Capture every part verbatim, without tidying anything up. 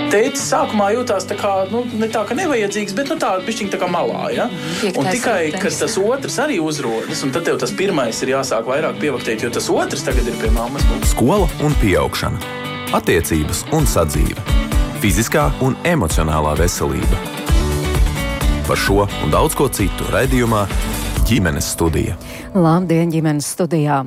tētis sākumā jūtās tā kā, nu, ne tā, ka nevajadzīgs, bet nu tā, bišķiņ tā kā malā, ja? Un tikai, kad tas otrs arī uzrodas, un tad tev tas pirmais ir jāsāk vairāk pievaktēt, jo tas otrs tagad ir pie mammas. Skola un pieaugšana. Attiecības un sadzīve. Fiziskā un emocionālā veselība. Par šo un daudz ko citu raidījumā Ģimenes studija. Labdien, ģimenes studijā!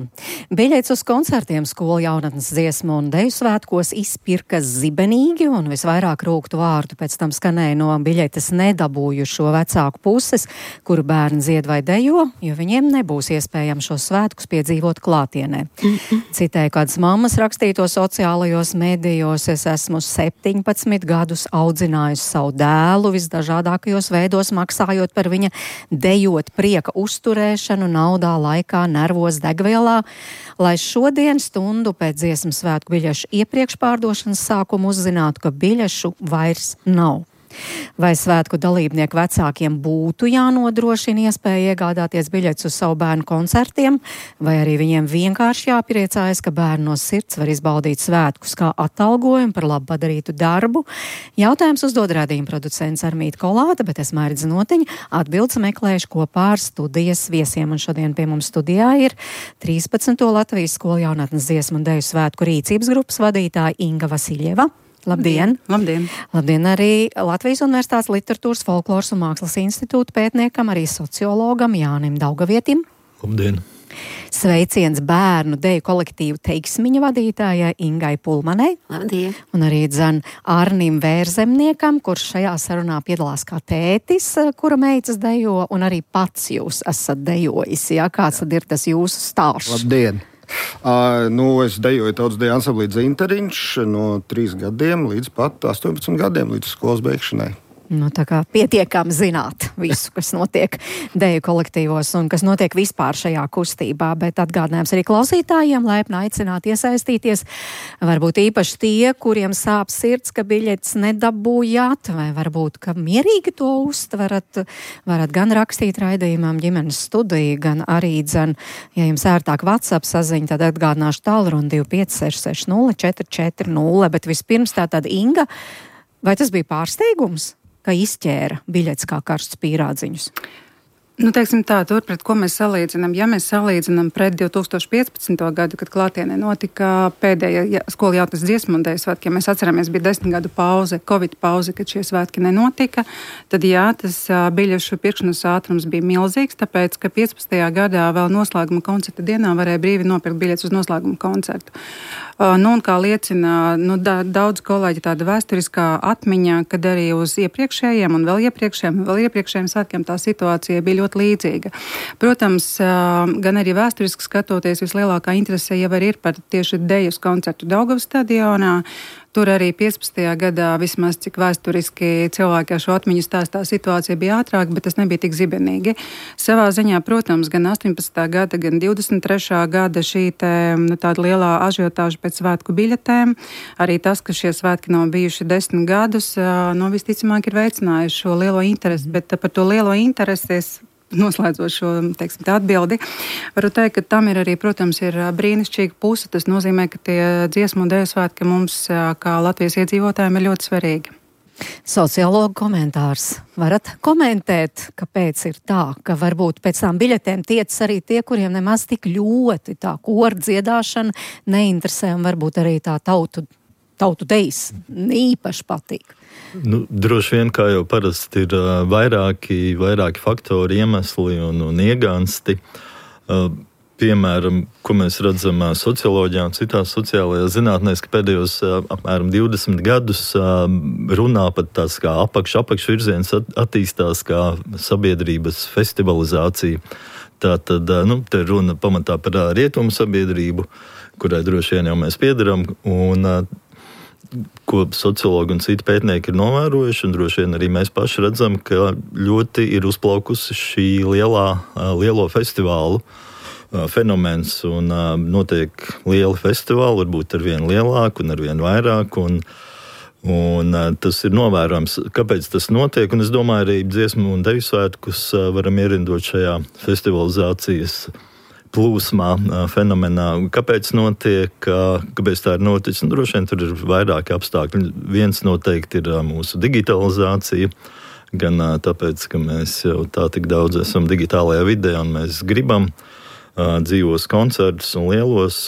Biļetes uz koncertiem skolu jaunatnes dziesmu un deju svētkos izpirka zibenīgi, un visvairāk rūgtu vārdu pēc tam skanēja no biļetes nedabūjušo vecāku puses, kuru bērni dzied vai dejo, jo viņiem nebūs iespējams šos svētkus piedzīvot klātienē. Mm-mm. Citēju kādas mammas rakstīto sociālajos medijos: es esmu septiņpadsmit gadus audzinājusi savu dēlu visdažādākajos veidos, maksājot par viņa dejot prieka uzturēšanu, naudā, laikā, nervos, degvielā, lai šodien stundu pēc dziesmu svētku biļešu iepriekšpārdošanas sākumu uzzinātu, ka biļešu vairs nav. Vai svētku dalībnieku vecākiem būtu jānodrošina iespēja iegādāties biļetes uz savu bērnu koncertiem, vai arī viņiem vienkārši jāpriecājas, ka bērni no sirds var izbaudīt svētkus kā atalgojumu par labu padarītu darbu? Jautājums uzdod raidījuma producents Armīta Kolāte, bet es Mairidze Notiņa atbildes meklējuši kopā ar studijas viesiem, un šodien pie mums studijā ir trīspadsmito Latvijas skolu jaunatnes dziesmu un deju svētku rīcības grupas vadītāja Inga Vasiļeva. Labdien! Labdien! Labdien arī Latvijas Universitātes literatūras, folkloras un mākslas institūta pētniekam, arī sociologam Jānim Daugavietim. Labdien! Sveiciens bērnu deju kolektīvu Teiksmiņa vadītājai Ingai Pulmanei. Labdien! Un arī dzan Arnim Vērzemniekam, kurš šajā sarunā piedalās kā tētis, kura meitas dejo, un arī pats jūs esat dejojis. Jā? Kāds tad ir tas jūsu stāsts? Labdien! Uh, nu, es dejoju tautas deju ansamblī Dzinteriņš no trīs gadiem līdz pat astoņpadsmit gadiem, līdz skolas beigšanai. Nu, tā kā pietiekami zināt visu, kas notiek deju kolektīvos un kas notiek vispār šajā kustībā, bet atgādinājums arī klausītājiem, laipni aicināt iesaistīties. Varbūt īpaši tie, kuriem sāp sirds, ka biļetes nedabūjāt, vai varbūt, ka mierīgi to uztverat, varat gan rakstīt raidījumam Ģimenes studija, gan arī dzen, ja jums ērtāk WhatsApp saziņa, tad atgādināšu tālruni divi pieci seši seši nulle četri četri nulle, bet vispirms tātad Inga, vai tas bija pārsteigums, ka izķēra biļetes kā karstus pīrādziņus? Nu, teiksim tā, tur, pret ko mēs salīdzinām. Ja mēs salīdzinām pret divi tūkstoši piecpadsmito gadu, kad klātienē notika pēdējā skola jaunatnes dziesmu un deju svētki, ja mēs atceramies, bija desmit gadu pauze, Covid pauze, kad šie svētki nenotika, tad jā, tas biļešu pirkšanas ātrums bija milzīgs, tāpēc, ka piecpadsmitajā gadā vēl noslēguma koncerta dienā varēja brīvi nopirkt biļetes uz noslēguma koncertu. Uh, nu, un kā liecina nu, da, daudz kolēģi tāda vēsturiskā atmiņā, kad arī uz iepriekšējiem un vēl iepriekšējiem, vēl iepriekšējiem svētkiem tā situācija bija ļoti līdzīga. Protams, uh, gan arī vēsturiski skatoties, vislielākā interese jau arī ir par tieši dejas koncertu Daugavas stadionā. Tur arī piecpadsmitajā gadā, vismaz cik vēsturiski cilvēki ar šo atmiņu stāstā, situācija bija ātrāka, bet tas nebija tik zibenīgi. Savā ziņā, protams, gan astoņpadsmitā gada, gan divdesmit trešā gada šī te, nu, tāda lielā ažiotāža pēc svētku biļetēm, arī tas, ka šie svētki nav bijuši desmit gadus, nu, visticamāk ir veicinājuši šo lielo interesi, bet par to lielo interesi es noslēdzot šo, teiksim, tā atbildi, varu teikt, ka tam ir arī, protams, ir brīnišķīga puse. Tas nozīmē, ka tie dziesmu un deju svētki mums, kā Latvijas iedzīvotājiem, ir ļoti svarīgi. Sociologu komentārs. Varat komentēt, kāpēc ir tā, ka varbūt pēc tām biļetēm tiecas arī tie, kuriem nemaz tik ļoti tā koru dziedāšana neinteresē, un varbūt arī tā tautu, tautu dejas īpaši patīk. Nu, droši vien, kā jau parasti, ir uh, vairāki, vairāki faktori, iemesli un, un iegansti. Uh, piemēram, ko mēs redzam uh, socioloģijā un citās sociālajās zinātnēs, ka pēdējos uh, apmēram divdesmit gadus uh, runā pat tās kā apakš, apakšvirziens at, attīstās kā sabiedrības festivalizācija. Tātad, uh, nu, te runa pamatā par uh, rietumu sabiedrību, kurai droši vien jau mēs piederam, un uh, ko sociologi un citi pētnieki ir novērojuši, un droši vien arī mēs paši redzam, ka ļoti ir uzplaukusi šī lielā, lielo festivālu fenomens, un notiek lieli festivāli, varbūt ar vien lielāku un ar vien vairāk, un, un tas ir novērojams, kāpēc tas notiek, un es domāju, arī dziesmu un deju svētkus varam ierindot šajā festivalizācijas plūsmā, fenomenā. Kāpēc notiek, kāpēc tā ir noticis? Nu, droši vien tur ir vairāki apstākļi. Viens noteikti ir mūsu digitalizācija, gan tāpēc, ka mēs jau tā tik daudz esam digitālajā vidē un mēs gribam dzīvos koncertus un lielos.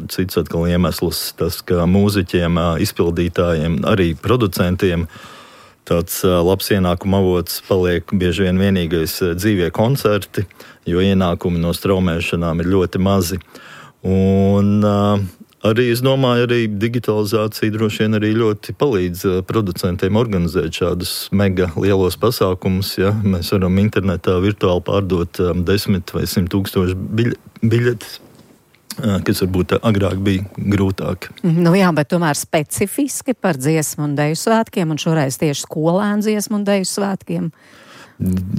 Cits atkal iemesls tas, ka mūziķiem, izpildītājiem, arī producentiem tāds labs ienākuma avots paliek bieži vien vienīgais dzīvie koncerti, jo ienākumi no straumēšanām ir ļoti mazi. Un arī, es domāju, arī digitalizācija droši vien arī ļoti palīdz producentiem organizēt šādus mega lielos pasākumus. Ja? Mēs varam internetā virtuāli pārdot desmit vai simt tūkstoši biļetes, kas varbūt agrāk bija grūtāk. Nu jā, bet tomēr specifiski par dziesmu un deju svētkiem, un šoreiz tieši skolēnu dziesmu un deju svētkiem.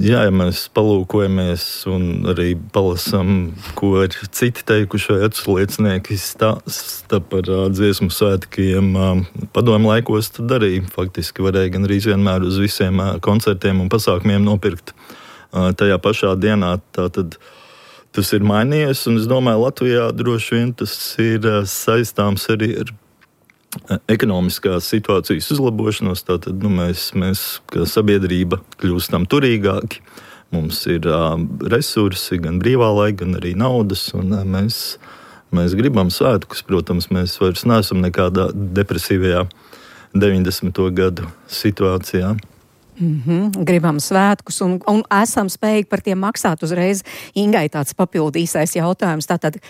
Jā, ja mēs palūkojamies un arī palasam, ko ir citi teikuši vai atsliecinieki stāsta par uh, dziesmu svētkiem uh, padomu laikos, tad arī faktiski varēja gan arī vienmēr uz visiem uh, koncertiem un pasākumiem nopirkt uh, tajā pašā dienā. Tātad tas ir mainījies, un es domāju, Latvijā droši vien tas ir uh, saistāms arī ar ekonomiskās situācijas uzlabošanos. Tātad nu, mēs, mēs kā sabiedrība kļūstam turīgāki. Mums ir uh, resursi, gan brīvā laika, gan arī naudas, un uh, mēs, mēs gribam svētkus. Protams, mēs vairs neesam nekādā depresīvajā deviņdesmito gadu situācijā. Mm-hmm. Gribam svētkus un, un esam spējīgi par tiem maksāt uzreiz. Ingai tāds papildu īsais jautājums. Tātad,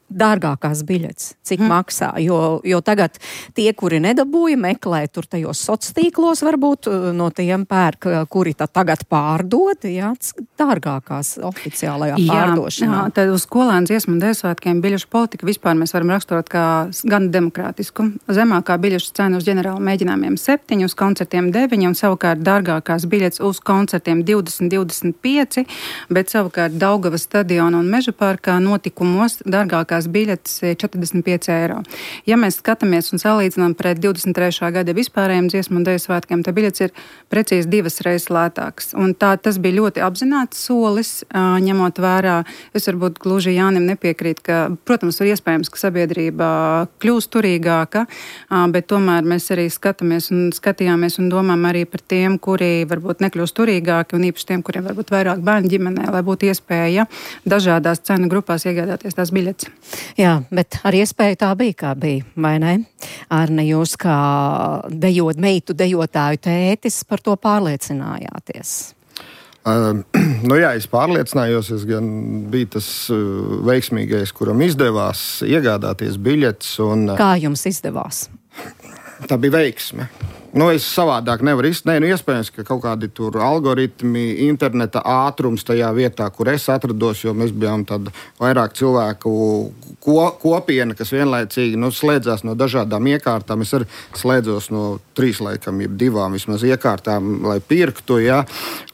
dārgākās biļetes, cik mm. maksā, jo, jo tagad tie, kuri nedabūja, meklē tur tajos sociālos, varbūt no tiem pērk, kuri tā tagad pārdod, jā, dārgākās oficiālajā jā, pārdošanā. Jā, tad uz skolēnu dziesmu un deju svētkiem biļešu politika vispār mēs varam raksturot kā gan demokrātisku. Zemākā biļešu cena uz ģenerāla mēģinājumiem septiņi, uz koncertiem deviņi, un savukārt dārgākās biļetes uz koncertiem divdesmit, divdesmit pieci, bet savukārt Daugavas stadiona un Meža parkā notikumos dārgākās biļetes četrdesmit pieci eiro. Ja mēs skatāmies un salīdzinām pret divdesmit trešā gada vispārējiem dziesmu un deju svētkiem, tad biļetes ir precīzi divas reizes lētākas. Un tā tas bija ļoti apzināts solis, ņemot vērā. Es varbūt gluži Jānim nepiekrīt, ka, protams, ir iespējams, ka sabiedrība kļūst turīgāka, bet tomēr mēs arī skatāmies un skatījāmies un domām arī par tiem, kuri varbūt nekļūst turīgāki, un īpaši tiem, kuriem varbūt vairāk bērnu ģimenē, lai būtu iespēja dažādās cenu grupās iegādāties tās biļetes. Jā, bet ar iespēju tā bija, kā bija, vai ne? Arne, jūs kā dejot, meitu dejotāju tētis par to pārliecinājāties? Uh, nu jā, es pārliecinājos, es gan biju tas uh, veiksmīgais, kuram izdevās iegādāties biļetes. Un, uh, kā jums izdevās? Tā bija veiksme. Nu, es savādāk nevaru izteikt. Nē, nu, iespējams, ka kaut kādi tur algoritmi, interneta ātrums tajā vietā, kur es atrados, jo mēs bijām tāda vairāk cilvēku ko, kopiena, kas vienlaicīgi nu, slēdzās no dažādām iekārtām. Es arī slēdzos no trīs laikam, jeb divām vismaz iekārtām, lai pirktu. Ja?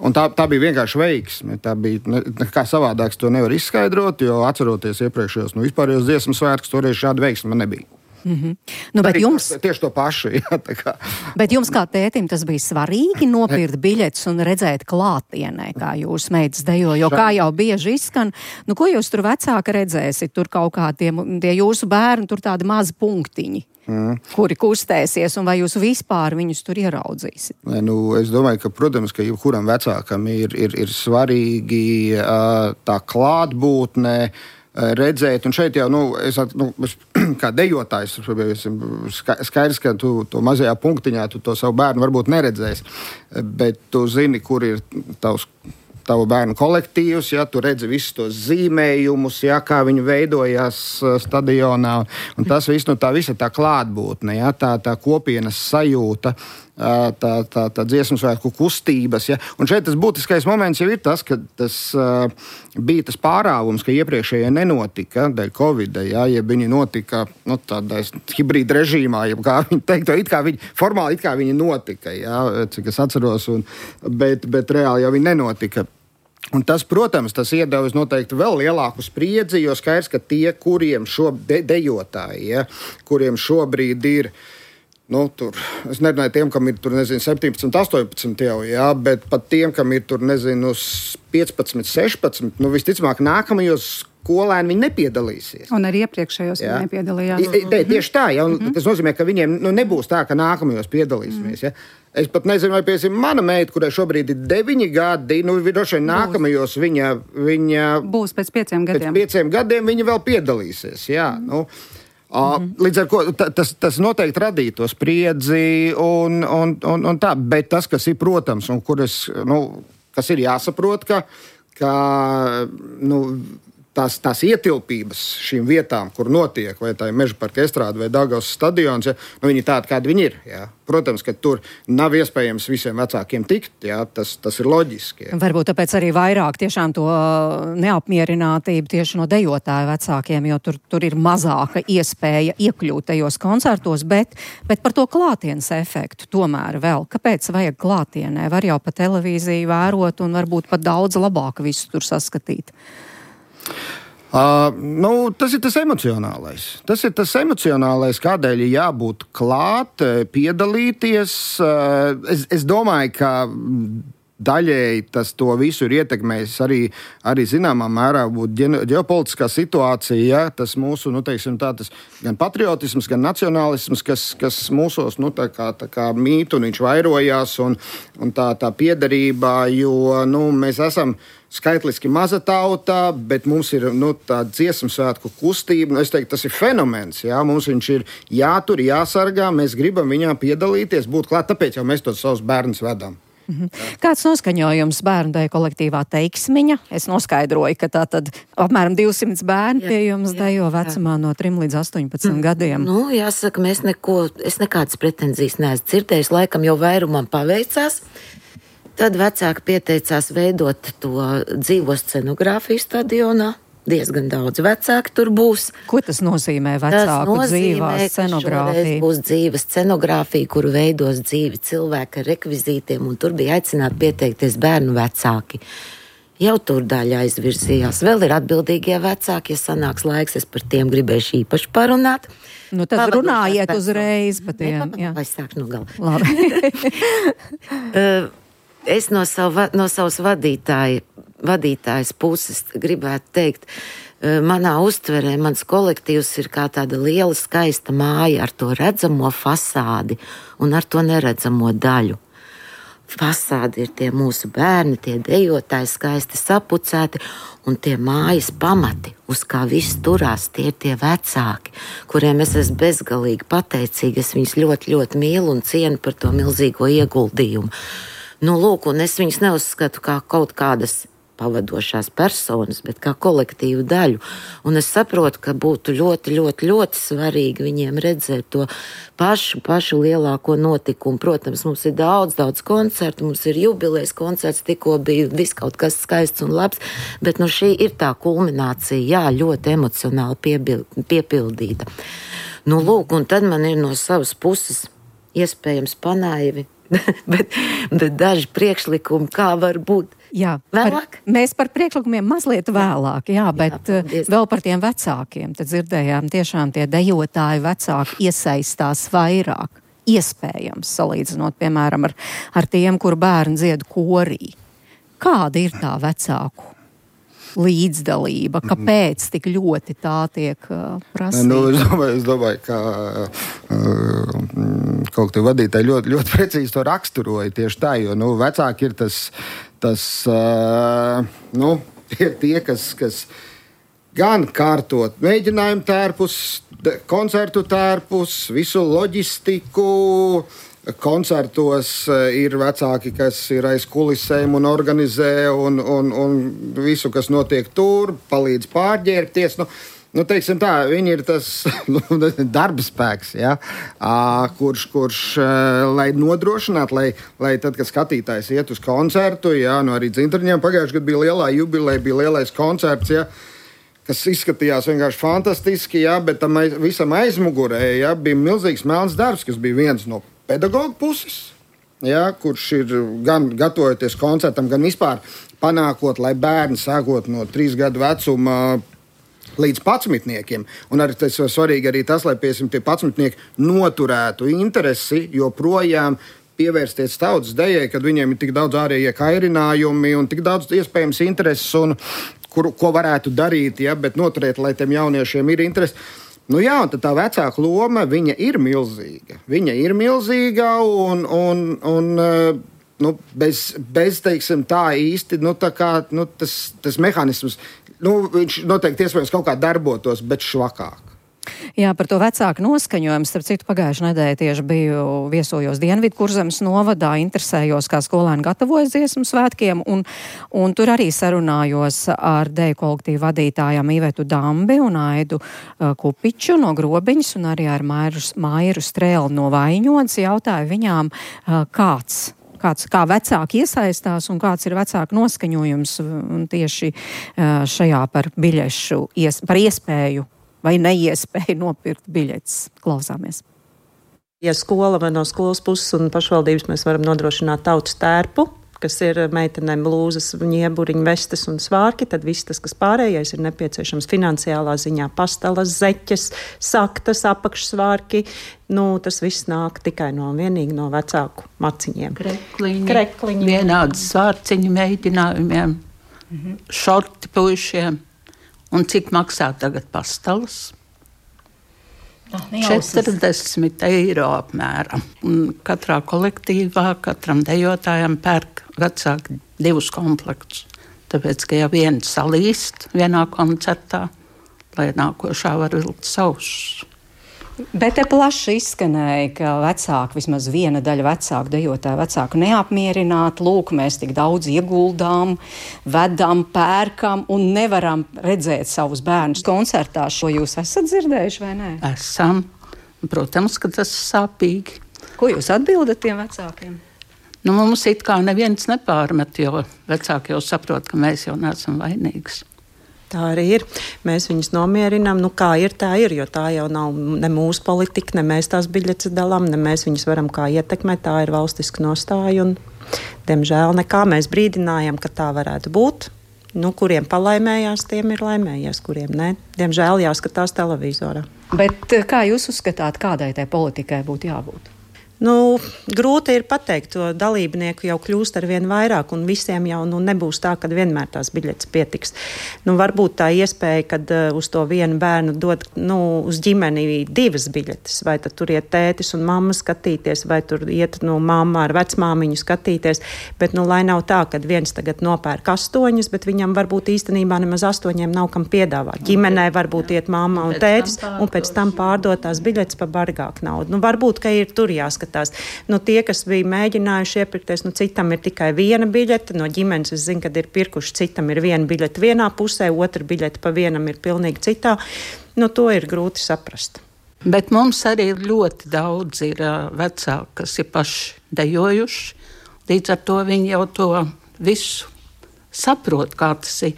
Un tā, tā bija vienkārši veiksme. Tā bija, ne, kā savādāks to nevar izskaidrot, jo atceroties iepriekšējos, nu, vispārējos dziesmu svētkus, toreiz šāda veiksme man nebija. Mm-hmm. Nu, bet jums, tieši to pašu. Jā, kā. Bet jums kā tētim tas bija svarīgi nopirkt biļetes un redzēt klātienē, kā jūs meitas dejo, jo kā jau bieži izskan, nu ko jūs tur vecāka redzēsiet, tur kaut kā tie, tie jūsu bērni, tur tādi mazi punktiņi. Mm. Kuri kustēsies, un vai jūs vispār viņus tur ieraudzīsiet? Nē, nu, es domāju, ka, protams, ka jebkuram vecākam ir, ir, ir svarīgi uh, tā klātbūtne, redzēt, un šeit jau, nu, es, nu, es kā dejotājs, skaidrs, ka tu to mazajā punktiņā tu to savu bērnu varbūt neredzēsi, bet tu zini, kur ir tavs tavu bērnu kolektīvs, ja, tu redzi visus tos zīmējumus, ja, kā viņi veidojās stadionā, un tas viss, nu, tā visa tā klātbūtne, ja, tā, tā kopienas sajūta, tā, tā, tā dziesmu svētku kustības, ja, un šeit tas būtiskais moments jau ir tas, ka tas uh, bija tas pārāvums, ka iepriekšējie nenotika dēļ Covida, ja, ja viņi notika, nu, tādā hibrīda režīmā, ja kā viņi teiktu, it kā viņi, formāli it kā viņi notika, ja, cik es atceros, un, bet, bet reāli jau viņi nenotika. Un tas, protams, tas iedevis noteikti vēl lielāku spriedzi, jo skaidrs, ka tie, kuriem šo de- dejotāji, ja, kuriem šobrīd ir Nu, tur, es nerunāju tiem, kam ir tur, nezinu, septiņpadsmit, astoņpadsmit jau, jā, bet pat tiem, kam ir tur, nezinu, piecpadsmit, sešpadsmit, nu, visticamāk, nākamajos skolēni viņi nepiedalīsies. Un arī iepriekšējos viņi nepiedalījās. Te, tieši tā, ja, un mm-hmm. tas nozīmē, ka viņiem nu, nebūs tā, ka nākamajos piedalīsimies, ja. Es pat nezinu, vai, piemēram, mana meita, kurai šobrīd ir deviņi gadi, nu, droši vien nākamajos viņa, viņa... Būs pēc pieciem gadiem. Pēc pieciem gadiem viņa vēl piedalīsies, jā, mm. nu... Mm-hmm. Līdz ar to tas, tas noteikti radīja to spriedzi un, un, un, un tā, bet tas, kas ir, protams, un kur es, nu, kas ir jāsaprot, ka, ka nu, tās, tās ietilpības šīm vietām, kur notiek, vai tā ir Meža parka estrāde vai Daugavas stadions, ja, nu, viņi tādi, kādi viņi ir. Ja. Protams, ka tur nav iespējams visiem vecākiem tikt, ja, tas, tas ir loģiski. Ja. Varbūt tāpēc arī vairāk tiešām to neapmierinātību tieši no dejotāju vecākiem, jo tur, tur ir mazāka iespēja iekļūt tajos koncertos, bet, bet par to klātienes efektu tomēr vēl. Kāpēc vajag klātienē? Var jau pa televīziju vērot un varbūt pat daudz labāk visu tur saskatīt. Uh, nu, tas ir tas emocionālais. Tas ir tas emocionālais, kādēļ ir jābūt klāt, piedalīties. Uh, es, es domāju, ka daļēji tas to visu ir ietekmējis arī, arī zināmā mērā būt ģeopolitiskā situācija, ja, tas mūsu, nu, teiksim tā, tas gan patriotisms, gan nacionālisms, kas, kas mūsos, nu, tā kā, tā kā mīt un viņš vairojās un, un tā, tā piederība, jo, nu, mēs esam skaitliski maza tauta, bet mums ir, nu, tāda dziesmu svētku kustība. Es teiktu, tas ir fenomens. Jā? Mums viņš ir jātur, jāsargā, mēs gribam viņā piedalīties, būt klāt, tāpēc jau mēs tos savus bērnus vedam. Mhm. Kāds noskaņojums bērnu deju kolektīvā Teiksmiņa? Es noskaidroju, ka tā tad apmēram divsimt bērni pie jums dejo vecumā no trim līdz astoņpadsmit gadiem. Nu, jāsaka, mēs neko, es nekādas pretenzijas neesmu dzirdējis, laikam jau vairumam paveicās. Tad vecāki pieteicās veidot to dzīvo scenogrāfiju stadionā. Diezgan daudz vecāki tur būs. Ko tas nozīmē vecāku dzīvā scenogrāfija? Būs dzīva scenogrāfija, kuru veidos dzīvi cilvēki ar rekvizītiem, un tur bija aicināti pieteikties bērnu vecāki. Jau tur daļa aizvirzījās. Vēl ir atbildīgie vecāki, ja sanāks laiks, es par tiem gribēšu īpaši parunāt. Nu tad Pavadošās runājiet uzreiz par tiem. Ne, vai sāk no gala. Labi. Es no, savu, no savas vadītāja, vadītājas puses gribētu teikt, manā uztverē mans kolektīvs ir kā tāda liela skaista māja ar to redzamo fasādi un ar to neredzamo daļu. Fasādi ir tie mūsu bērni, tie dejotāji skaisti sapucēti, un tie mājas pamati, uz kā viss turās, tie ir tie vecāki, kuriem es esmu bezgalīgi pateicīga. Es viņus ļoti, ļoti mīlu un cienu par to milzīgo ieguldījumu. Nu, lūk, un es viņus neuzskatu kā kaut kādas pavadošās personas, bet kā kolektīvu daļu. Un es saprotu, ka būtu ļoti, ļoti, ļoti svarīgi viņiem redzēt to pašu, pašu lielāko notikumu. Protams, mums ir daudz, daudz koncertu, mums ir jubilejas koncerts, tikko bija viss kaut kas skaists un labs, bet nu šī ir tā kulminācija, jā, ļoti emocionāli piebil, piepildīta. Nu, lūk, un tad man ir no savas puses iespējams panaivi, bet, bet daži priekšlikumi, kā var būt. Jā, vēlāk? Par, mēs par priekšlikumiem mazliet vēlāk, jā, bet jā, vēl par tiem vecākiem. Tad dzirdējām, tiešām tie dejotāji vecāki iesaistās vairāk, iespējams, salīdzinot, piemēram, ar, ar tiem, kur bērni dzied korī. Kāda ir tā vecāku līdzdalība? Kāpēc tik ļoti tā tiek uh, prasīta? Nu, es domāju, es domāju ka uh, kolektīvu vadītāji ļoti, ļoti precīzi to raksturoja tieši tā, jo nu, vecāki ir tas, tas uh, nu, tie, tie kas, kas gan kārtot mēģinājumu tērpus, koncertu tērpus, visu loģistiku. Koncertos ir vecāki, kas ir aiz kulisēm un organizē un, un, un visu, kas notiek tur, palīdz pārģērbties. Nu, nu, teiksim tā, viņi ir tas nu, darba spēks, ja, kurš, kurš, lai nodrošinātu, lai, lai tad, kad skatītājs iet uz koncertu, ja, nu arī Dzintriņiem pagājušajā gadā bija lielā jubileja, bija lielais koncerts, ja, kas izskatījās vienkārši fantastiski, ja, bet tam aiz, visam aizmugurē ja, bija milzīgs melns darbs, kas bija viens no pedagoģa puses, ja, kurš ir gan gatavojoties koncertam, gan vispār panākot, lai bērni sākot no trīs gadu vecuma līdz patsmitniekiem. Un arī tas ir svarīgi arī tas, lai piesim tie patsmitnieki noturētu interesi, joprojām pievērsties tautas dejai, kad viņiem ir tik daudz ārējie kairinājumi un tik daudz iespējams intereses, un kur, ko varētu darīt, ja, bet noturēt, lai tiem jauniešiem ir interesi. Nu jā, un tad tā vecāka loma, viņa ir milzīga. Viņa ir milzīga un, un, un nu, bez, bez, teiksim, tā īsti, nu, tā kā, nu, tas, tas mehānisms, nu, viņš noteikti iespējams kaut kā darbotos, bet švakāk. Jā, par to vecāku noskaņojumu. Starp citu, pagājušajā nedēļā tieši biju viesojos Dienvidkurzemes novadā, interesējos, kā skolēni gatavojas dziesmu svētkiem, un, un tur arī sarunājos ar deju kolektīvu vadītājām Ivetu Dambi un Aidu uh, Kupiču no Grobiņas, un arī ar Mairu, Mairu Strēli no Vaiņodas. Jautāju viņām, uh, kāds. Kāds, kā vecāki iesaistās un kāds ir vecāku noskaņojums un tieši uh, šajā par biļešu, ies, par iespēju vai neiespēju nopirkt biļetes. Klausāmies. Ja skola vai no skolas puses un pašvaldības mēs varam nodrošināt tautas tērpu, kas ir meitenēm blūzas, ņieburiņu, vestes un svārki, tad viss tas, kas pārējais ir nepieciešams finansiālā ziņā, pastalas, zeķes, saktas, apakšsvārki, nu, tas viss nāk tikai no vienīgi no vecāku maciņiem. Krekliņi, Krekliņi. Vienādi svārciņu mēģinājumiem, mhm. šorti puišiem. Un cik maksā tagad pastalas? četrdesmit eiro apmēram. Un katrā kolektīvā, katram dejotājam pērk vecāki divus komplektus. Tāpēc, ka ja viens salīst vienā koncertā, lai nākošā var vilkt savus. Bet te plaši izskanēja, ka vecāki, vismaz viena daļa vecāku dejotāju vecāku neapmierināti. Lūk, mēs tik daudz ieguldām, vedam, pērkam un nevaram redzēt savus bērnus koncertā. Šo jūs esat dzirdējuši vai nē? Esam. Protams, ka tas sāpīgi. Ko jūs atbildat tiem vecākiem? Nu, mums it kā neviens nepārmet, jo vecāki jau saprot, ka mēs jau neesam vainīgas. Tā arī ir. Mēs viņus nomierinām. Nu, kā ir, tā ir, jo tā jau nav ne mūsu politika, ne mēs tās biļetes dalām, ne mēs viņus varam kā ietekmēt. Tā ir valstiska nostāja un, diemžēl, nekā mēs brīdinājam, ka tā varētu būt. Nu, kuriem palaimējās, tiem ir laimējies, kuriem ne. Diemžēl jāskatās televizorā. Bet kā jūs uzskatāt, kādai tai politikai būtu jābūt? Nu, grūti ir pateikt, to dalībnieku jau kļūst ar vien vairāk, un visiem jau nu, nebūs tā, ka vienmēr tās biļetes pietiks. Nu, varbūt tā iespēja, kad uh, uz to vienu bērnu dod nu, uz ģimeni divas biļetes, vai tad tur iet tētis un mamma skatīties, vai tur iet nu, mamma ar vecmāmiņu skatīties, bet nu, lai nav tā, ka viens tagad nopērk astoņas, bet viņam varbūt īstenībā nemaz astoņiem nav kam piedāvāt. Ģimenē varbūt iet mamma un tētis, un pēc tam pārdot tās biļetes pa bargāku naudu. Nu, varbūt, ka ir tur jāskatās. Nu, tie, kas bija mēģinājuši iepirkties, nu, citam ir tikai viena biļete. No ģimenes es zinu, kad ir pirkuši, citam ir viena biļete vienā pusē, otra biļete pa vienam ir pilnīgi citā. Nu, to ir grūti saprast. Bet mums arī ļoti daudz ir uh, vecāki, kas ir paši dejojuši. Līdz ar to viņi jau to visu saprot, kā tas ir.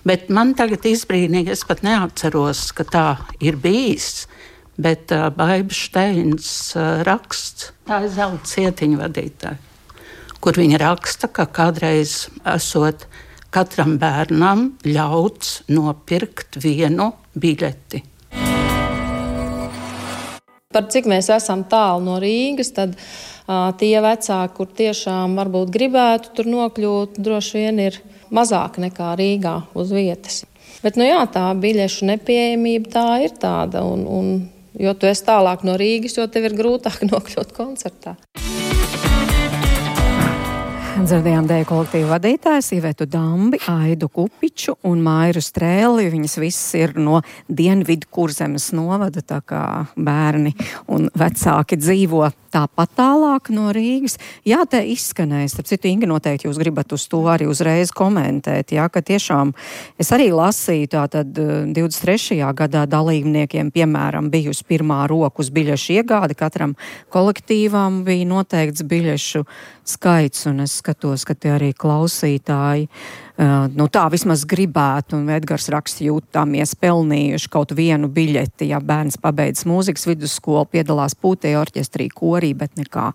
Bet man tagad izbrīnīgi, es pat neatceros, ka tā ir bijis. Bet uh, Baiba Šteins uh, raksts, tā ir zelta cietiņa vadītāja, kur viņa raksta, ka kādreiz esot katram bērnam ļauts nopirkt vienu biļeti. Par cik mēs esam tālu no Rīgas, tad uh, tie vecāki, kur tiešām varbūt gribētu tur nokļūt, droši vien ir mazāk nekā Rīgā uz vietas. Bet, nu jā, tā biļešu nepieejamība tā ir tāda, un, un jo tu esi tālāk no Rīgas, jo tev ir grūtāk nokļūt koncertā. Dzirdējām deju kolektīvu vadītājs Ivetu Dambi, Aidu Kupiču un Mairu Strēli. Viņas visas ir no Dienvidkurzemes novada, tā kā bērni un vecāki dzīvo tāpat tālāk no Rīgas. Jā, te izskanēja, starp citu, Inga, noteikti jūs gribat uz to arī uzreiz komentēt, jā, ka tiešām es arī lasīju, tātad divdesmit trešajā gadā dalībniekiem, piemēram, bijusi pirmā rokas biļešu iegāde, katram kolektīvām bija noteikts biļešu skaits, un es skatos, ka tie arī klausītāji uh, nu tā vismaz gribētu, un Edgars raksta, jūtāmies pelnījuši kaut vienu biļeti, ja bērns pabeidz mūzikas vidusskolu, piedalās pūtēju orķestrī, korī, bet nekā.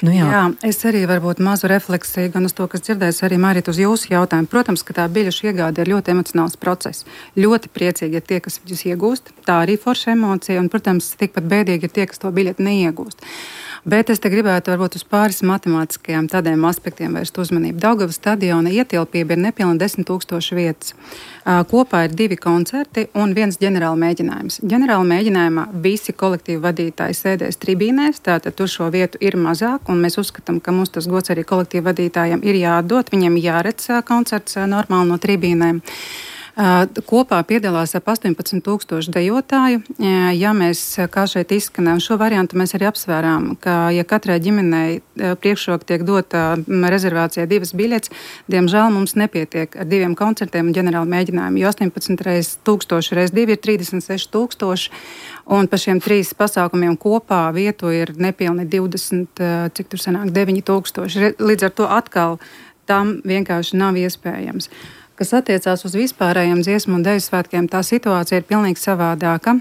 Nu, jā. jā, es arī varbūt mazu refleksiju gan uz to, kas dzirdēs, arī Mārīt uz jūsu jautājumu. Protams, ka tā biļešu iegāde ir ļoti emocionāls process. Ļoti priecīgi ir tie, kas viņus iegūst, tā arī forša emocija, un, protams, tikpat bēdīgi ir tie, kas to biļeti neiegūst. Bet es te gribētu varbūt uz pāris matemātiskajām tādiem aspektiem vērst uzmanību. Daugavas stadiona ietilpība ir nepilni desmit tūkstoši vietas. Kopā ir divi koncerti un viens ģenerāla mēģinājums. Ģenerāla mēģinājumā visi kolektīvu vadītāji sēdēs tribīnēs, tātad tur šo vietu ir mazāk, un mēs uzskatām, ka mums tas gods arī kolektīvu vadītājiem ir jādod, viņiem jāredz koncerts normāli no tribīnēm. Kopā piedalās ap astoņpadsmit tūkstoši dejotāju. Ja mēs, kā šeit izskanējām, šo variantu mēs arī apsvērām, ka, ja katrai ģimenei priekšroka tiek dota rezervācijai divas biļetes, diemžēl mums nepietiek ar diviem koncertiem un ģenerālu mēģinājumu, jo astoņpadsmit reiz tūkstoši reiz divi ir trīsdesmit seši tūkstoši, un pa šiem trīs pasākumiem kopā vietu ir nepilni divdesmit, cik tur sanāk, deviņi tūkstoši. Līdz ar to atkal tam vienkārši nav iespējams. Kas attiecās uz vispārējiem dziesmu un deju svētkiem, tā situācija ir pilnīgi savādāka,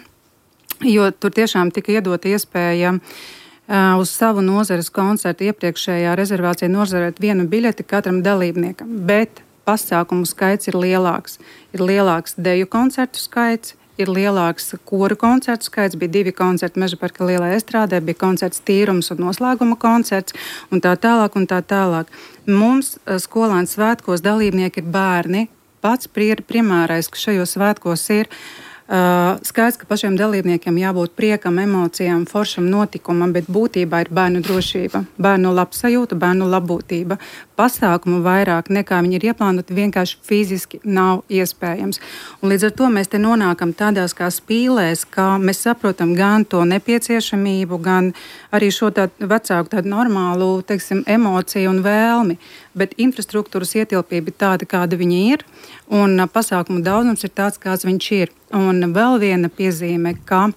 jo tur tiešām tika iedota iespēja uh, uz savu nozares koncertu iepriekšējā rezervācijā nozarēt vienu biļeti katram dalībniekam, bet pasākumu skaits ir lielāks. Ir lielāks deju koncertu skaits, ir lielāks koru koncertu skaits, bija divi koncerti Mežaparka lielajā estrādē, bija koncerts Tīrums un noslēguma koncerts, un tā tālāk un tā tālāk. Mums skolēnu svētkos dalībnieki ir bērni. Pats primārais, kas šajos svētkos ir, uh, skaidrs, ka pašiem dalībniekiem jābūt priekam, emocijām, foršam notikumam, bet būtībā ir bērnu drošība, bērnu labsajūta, bērnu labbūtība. Pasākumu vairāk nekā viņi ir ieplānoti vienkārši fiziski nav iespējams. Un līdz ar to mēs te nonākam tādās kā spīlēs, kā mēs saprotam gan to nepieciešamību, gan arī šo tādu vecāku tādu normālu, teiksim, emociju un vēlmi. Bet infrastruktūras ietilpība ir tāda, kāda viņi ir, un pasākumu daudzums ir tāds, kāds viņš ir. Un vēl viena piezīme, ka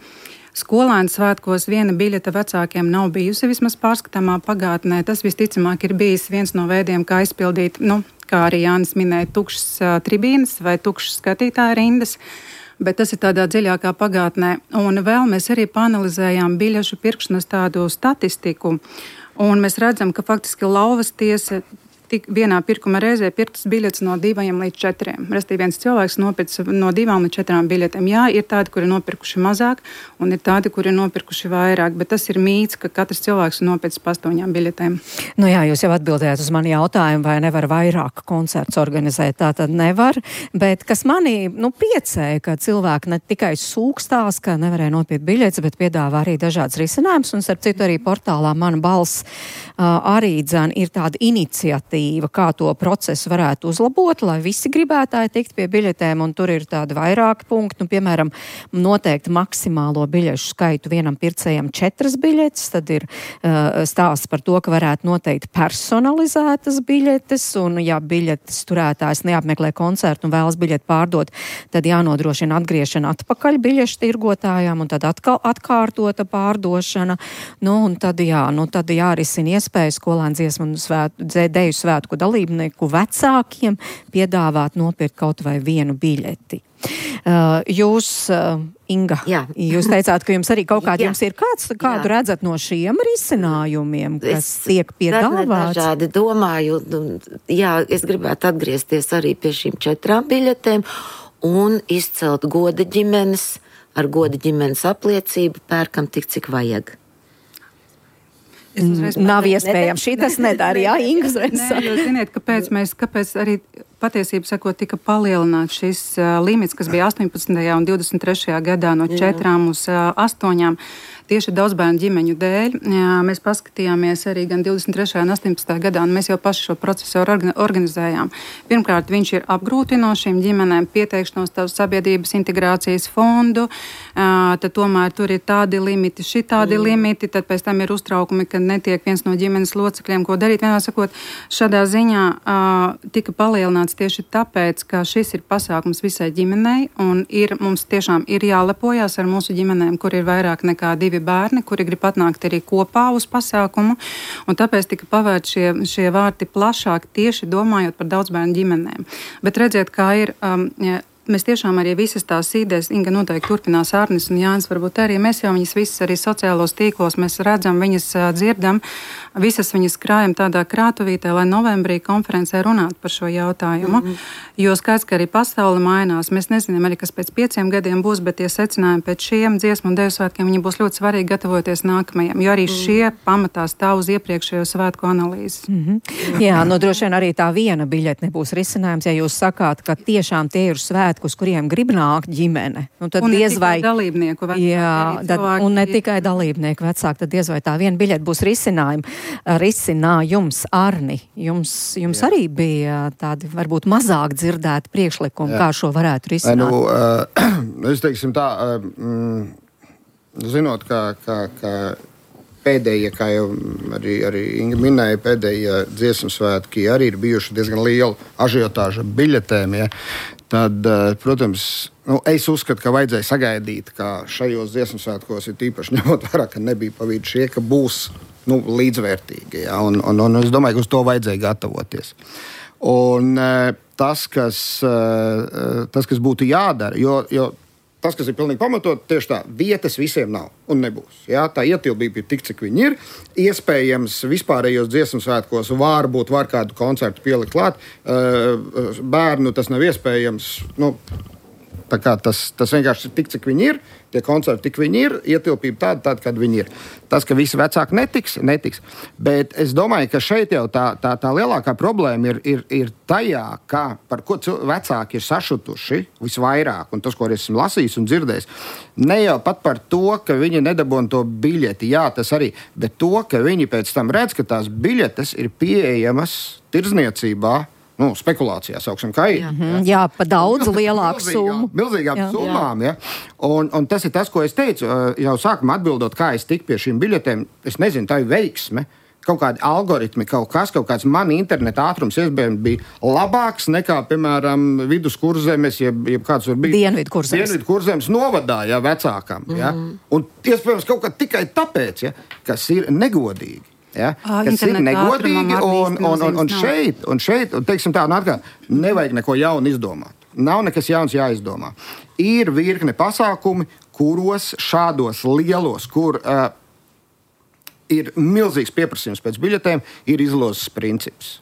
skolēnu svētkos viena biļete vecākiem nav bijusi vismaz pārskatāmā pagātnē. Tas visticamāk ir bijis viens no veidiem, kā izpildīt, nu, kā arī Jānis minēja, tukšas uh, tribīnes vai tukšas skatītāju rindas, bet tas ir tādā dziļākā pagātnē. Un vēl mēs arī panalizējām biļešu pirkšanas tādu statistiku, un mēs redzam, ka faktiski lauvas tiesa tik vienā pirkuma reizē pirktas biļetes no diviem līdz četriem. Restīvi viens cilvēks nopirks no divām līdz četrām biļetēm. Jā, ir tādi, kuri nopirkuši mazāk, un ir tādi, kuri nopirkuši vairāk, bet tas ir mīts, ka katrs cilvēks nopirks pa astoņām biļetēm. Nu jā, jūs jau atbildējāt uz mani jautājumu, vai nevar vairāk koncerts organizēt. Tā tad nevar, bet kas manī, nu, priecēja, ka cilvēki ne tikai sūkstās, ka nevarēja nopirkt biļetes, bet piedāvā arī dažādas risinājumus, un starp citu arī portālā Mana balss uh, arī dzan ir tāda iniciatīva, kā to procesu varētu uzlabot, lai visi gribētāji tikt pie biļetēm, un tur ir tādi vairāki punkti, nu, piemēram, noteikti maksimālo biļešu skaitu vienam pircējam četras biļetes, tad ir uh, stāsts par to, ka varētu noteikt personalizētas biļetes, un ja biļetes turētājs neapmeklē koncertu un vēlas biļeti pārdot, tad jānodrošina atgriešana atpakaļ biļešu tirgotājām, un tad atkal atkārtota pārdošana, nu, un tad jā, nu, tad jārisina iespējas skolēnu dziesmu un svētu, deju svētku dalībnieku vecākiem piedāvāt nopirkt kaut vai vienu biļeti. Uh, jūs, uh, Inga, jā. Jūs teicāt, ka jums arī kaut kādi jums ir kāds, kādu jā. Redzat no šiem risinājumiem, kas es tiek piedāvāts? Dažādi domāju, jā, es gribētu atgriezties arī pie šīm četrām biļetēm un izcelt goda ģimenes, ar goda ģimenes apliecību pērkam tik, cik vajag. Nav iespējams. Šī tas nedara, jā, Inga uzreiz. Nē, jo ziniet, kāpēc mēs, kāpēc arī patiesību sakot tika palielināts šis uh, limits, kas bija astoņpadsmitajā un divdesmit trešajā gadā no četrām uz uh, astoņām. Tieši daudzbērnu ģimeņu dēļ. Jā, mēs paskatījāmies arī gan divdesmit trešajā un astoņpadsmitajā gadā, un mēs jau paši šo procesu organizējām. Pirmkārt, viņš ir apgrūtinošs šīm ģimenēm pieteikšanos tavu sabiedrības integrācijas fondu, uh, tad tomēr tur ir tādi limiti, šitādi mm. limiti, tad pēc tam ir uztraukumi, ka netiek viens no ģimenes locekļiem, ko darīt. Vienā sakot, šādā ziņā uh, tika palielināts tieši tāpēc, ka šis ir pasākums visai ģimenei, un ir, mums tiešām ir jālepojās ar mūsu ģimenēm, kur ir vairāk nekā divi bērni, kuri grib atnākt arī kopā uz pasākumu, un tāpēc tika pavērt šie, šie vārti plašāk tieši domājot par daudzbērnu ģimenēm. Bet redziet, kā ir... Um, ja, Mēs tiešām arī visas tās idejas, Inga noteikti turpinās, Arnis un Jānis varbūt arī, mēs jau viņas visas arī sociālos tīklos, mēs redzam, viņas dzirdam, visas viņas krājam tādā krātuvītē, lai novembrī konferencē runātu par šo jautājumu, mm-hmm. jo skaidrs, ka arī pasaule mainās, mēs nezinām arī, kas pēc pieciem gadiem būs, bet tie secinājumi pēc šiem dziesmu un deju svētkiem, viņi būs ļoti svarīgi gatavoties nākamajiem, jo arī mm-hmm. šie pamatā stāv uz iepriekšējo svētku analīzes. Mm-hmm. Jā, no droši vien arī tā viena biļete nebūs risinājums, ja jūs sakāt, ka tiešām tie ir svētki, uz kuriem grib nākt ģimene. Nu, tad un ne diez vai, tikai dalībnieku vecāki. Jā, tad, un ne tikai dalībnieku vecāki, tad diez vai tā viena biļete būs risinājumi. Risinājums, Arni, jums, jums arī bija tādi varbūt mazāk dzirdēti priekšlikumi, jā. Kā šo varētu risināt? Nu, uh, es teiksim tā, uh, zinot, ka, ka, ka pēdējie, kā jau arī, arī Inga minēja, pēdējie dziesmu svētki arī ir bijuši diezgan liela ažiotāža biļetēm, ja. Tad, protams, nu, es uzskatu, ka vajadzēja sagaidīt, ka šajos dziesmu svētkos ir tīpaši ņemot vērā, ka nebija pavīdi šie, ka būs nu, līdzvērtīgi. Ja? Un, un, un es domāju, ka uz to vajadzēja gatavoties. Un tas, kas, tas, kas būtu jādara, jo, jo tas, kas ir pilnīgi pamatot, tieši tā, vietas visiem nav un nebūs. Ja? Tā ietilpība ir tik, cik viņi ir. Iespējams, vispārējos dziesmu svētkos var būt, var kādu koncertu pielikt klāt. Bērnu tas nav iespējams. Nu, tā kā tas, tas vienkārši ir tik, cik viņi ir. Tie koncerti tik viņi ir, ietilpība tāda, tāda, kāda viņi ir. Tas, ka visi vecāki netiks, netiks. Bet es domāju, ka šeit jau tā, tā, tā lielākā problēma ir, ir, ir tajā, kā, par ko vecāki ir sašutuši visvairāk, un tas, ko esmu lasījis un dzirdējis, ne jau pat par to, ka viņi nedabūna to biļeti, jā, tas arī, bet to, ka viņi pēc tam redz, ka tās biļetes ir pieejamas tirdzniecībā, nu, spekulācijā sauksim, kā ir. Jā, jā pa daudz lielāku summu. Milzīgām jā. Summām, ja. Un, un tas ir tas, ko es teicu, jau sākumā atbildot, kā es tiku pie šīm biļetēm. Es nezinu, tā ir veiksme. Kaut kādi algoritmi, kaut kas, kaut kāds mani interneta ātrums iespējams bija labāks nekā, piemēram, viduskurzemes, jeb, jeb kāds var bija. Dienvidkurzemes. Dienvidkurzemes novadā, ja, vecākam. Ja. Mm. Un iespējams kaut kā tikai tāpēc, ja, kas ir negodīgi. Ja, kas ir negodīgi, un, un, un, un šeit, un šeit un, teiksim tā, un atkal, nevajag neko jaunu izdomāt. Nav nekas jauns jāizdomā. Ir virkne pasākumi, kuros šādos lielos, kur uh, ir milzīgs pieprasījums pēc biļetēm, ir izlozes princips.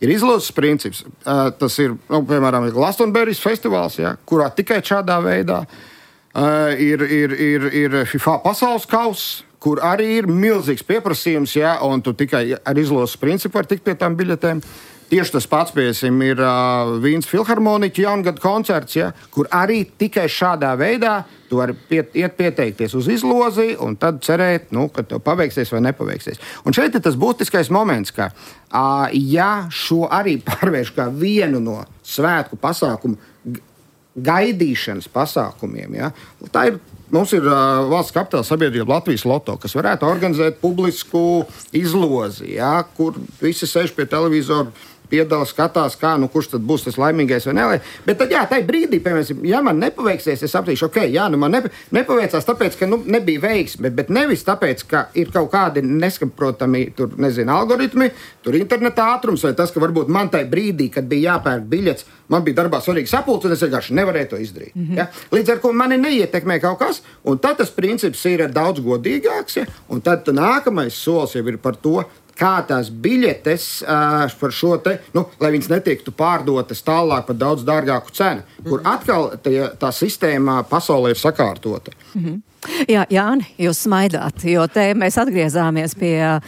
Ir izlozes princips. Uh, tas ir, nu, piemēram, Glastonbury festivāls, ja, kurā tikai šādā veidā uh, ir, ir, ir, ir FIFA pasaules kauss, kur arī ir milzīgs pieprasījums, ja, un tu tikai ar izlozes principu var tikt pie tām biļetēm. Tieši tas pats, piesim, ir uh, Vīnas filharmoniķa jaungada koncerts, ja, kur arī tikai šādā veidā tu vari piet, iet pieteikties uz izlozi un tad cerēt, nu, ka tev paveiksies vai nepaveiksies. Un šeit ir tas būtiskais moments, ka uh, ja šo arī pārvērš kā vienu no svētku pasākumu gaidīšanas pasākumiem, ja, tā ir. Mums ir uh, valsts kapitāla sabiedrība Latvijas Loto, kas varētu organizēt publisku izlozi, ja, kur visi sēž pie televizora, piedalās, skatās, kā, nu, kurš tad būs tas laimīgais vai nelē. Bet tad, jā, tajā brīdī, piemēram, ja man nepaveiksies, es sapratīšu, ok, jā, nu man nepa, nepaveicās tāpēc, ka, nu, nebija veiksme, bet, bet nevis tāpēc, ka ir kaut kādi nesaprotami, tur, nezinu, algoritmi, tur interneta ātrums, vai tas, ka varbūt man tajā brīdī, kad bija jāpērk biļets, man bija darbā svarīgi sapulcs, un es vienkārši nevarēju to izdarīt. Mm-hmm. Ja? Līdz ar ko mani neietekmē kaut kas, un tad tas princips ir daudz godīgāks, ja? Un tad nākamais solis jau ir par to, kā tās biļetes uh, par šo te, nu, lai viņas netiktu pārdotas tālāk par daudz dārgāku cenu, kur atkal tie, tā sistēma pasaulē ir sakārtota. Mm-hmm. Jā, Jāni, jūs smaidāt, jo te mēs atgriezāmies pie uh,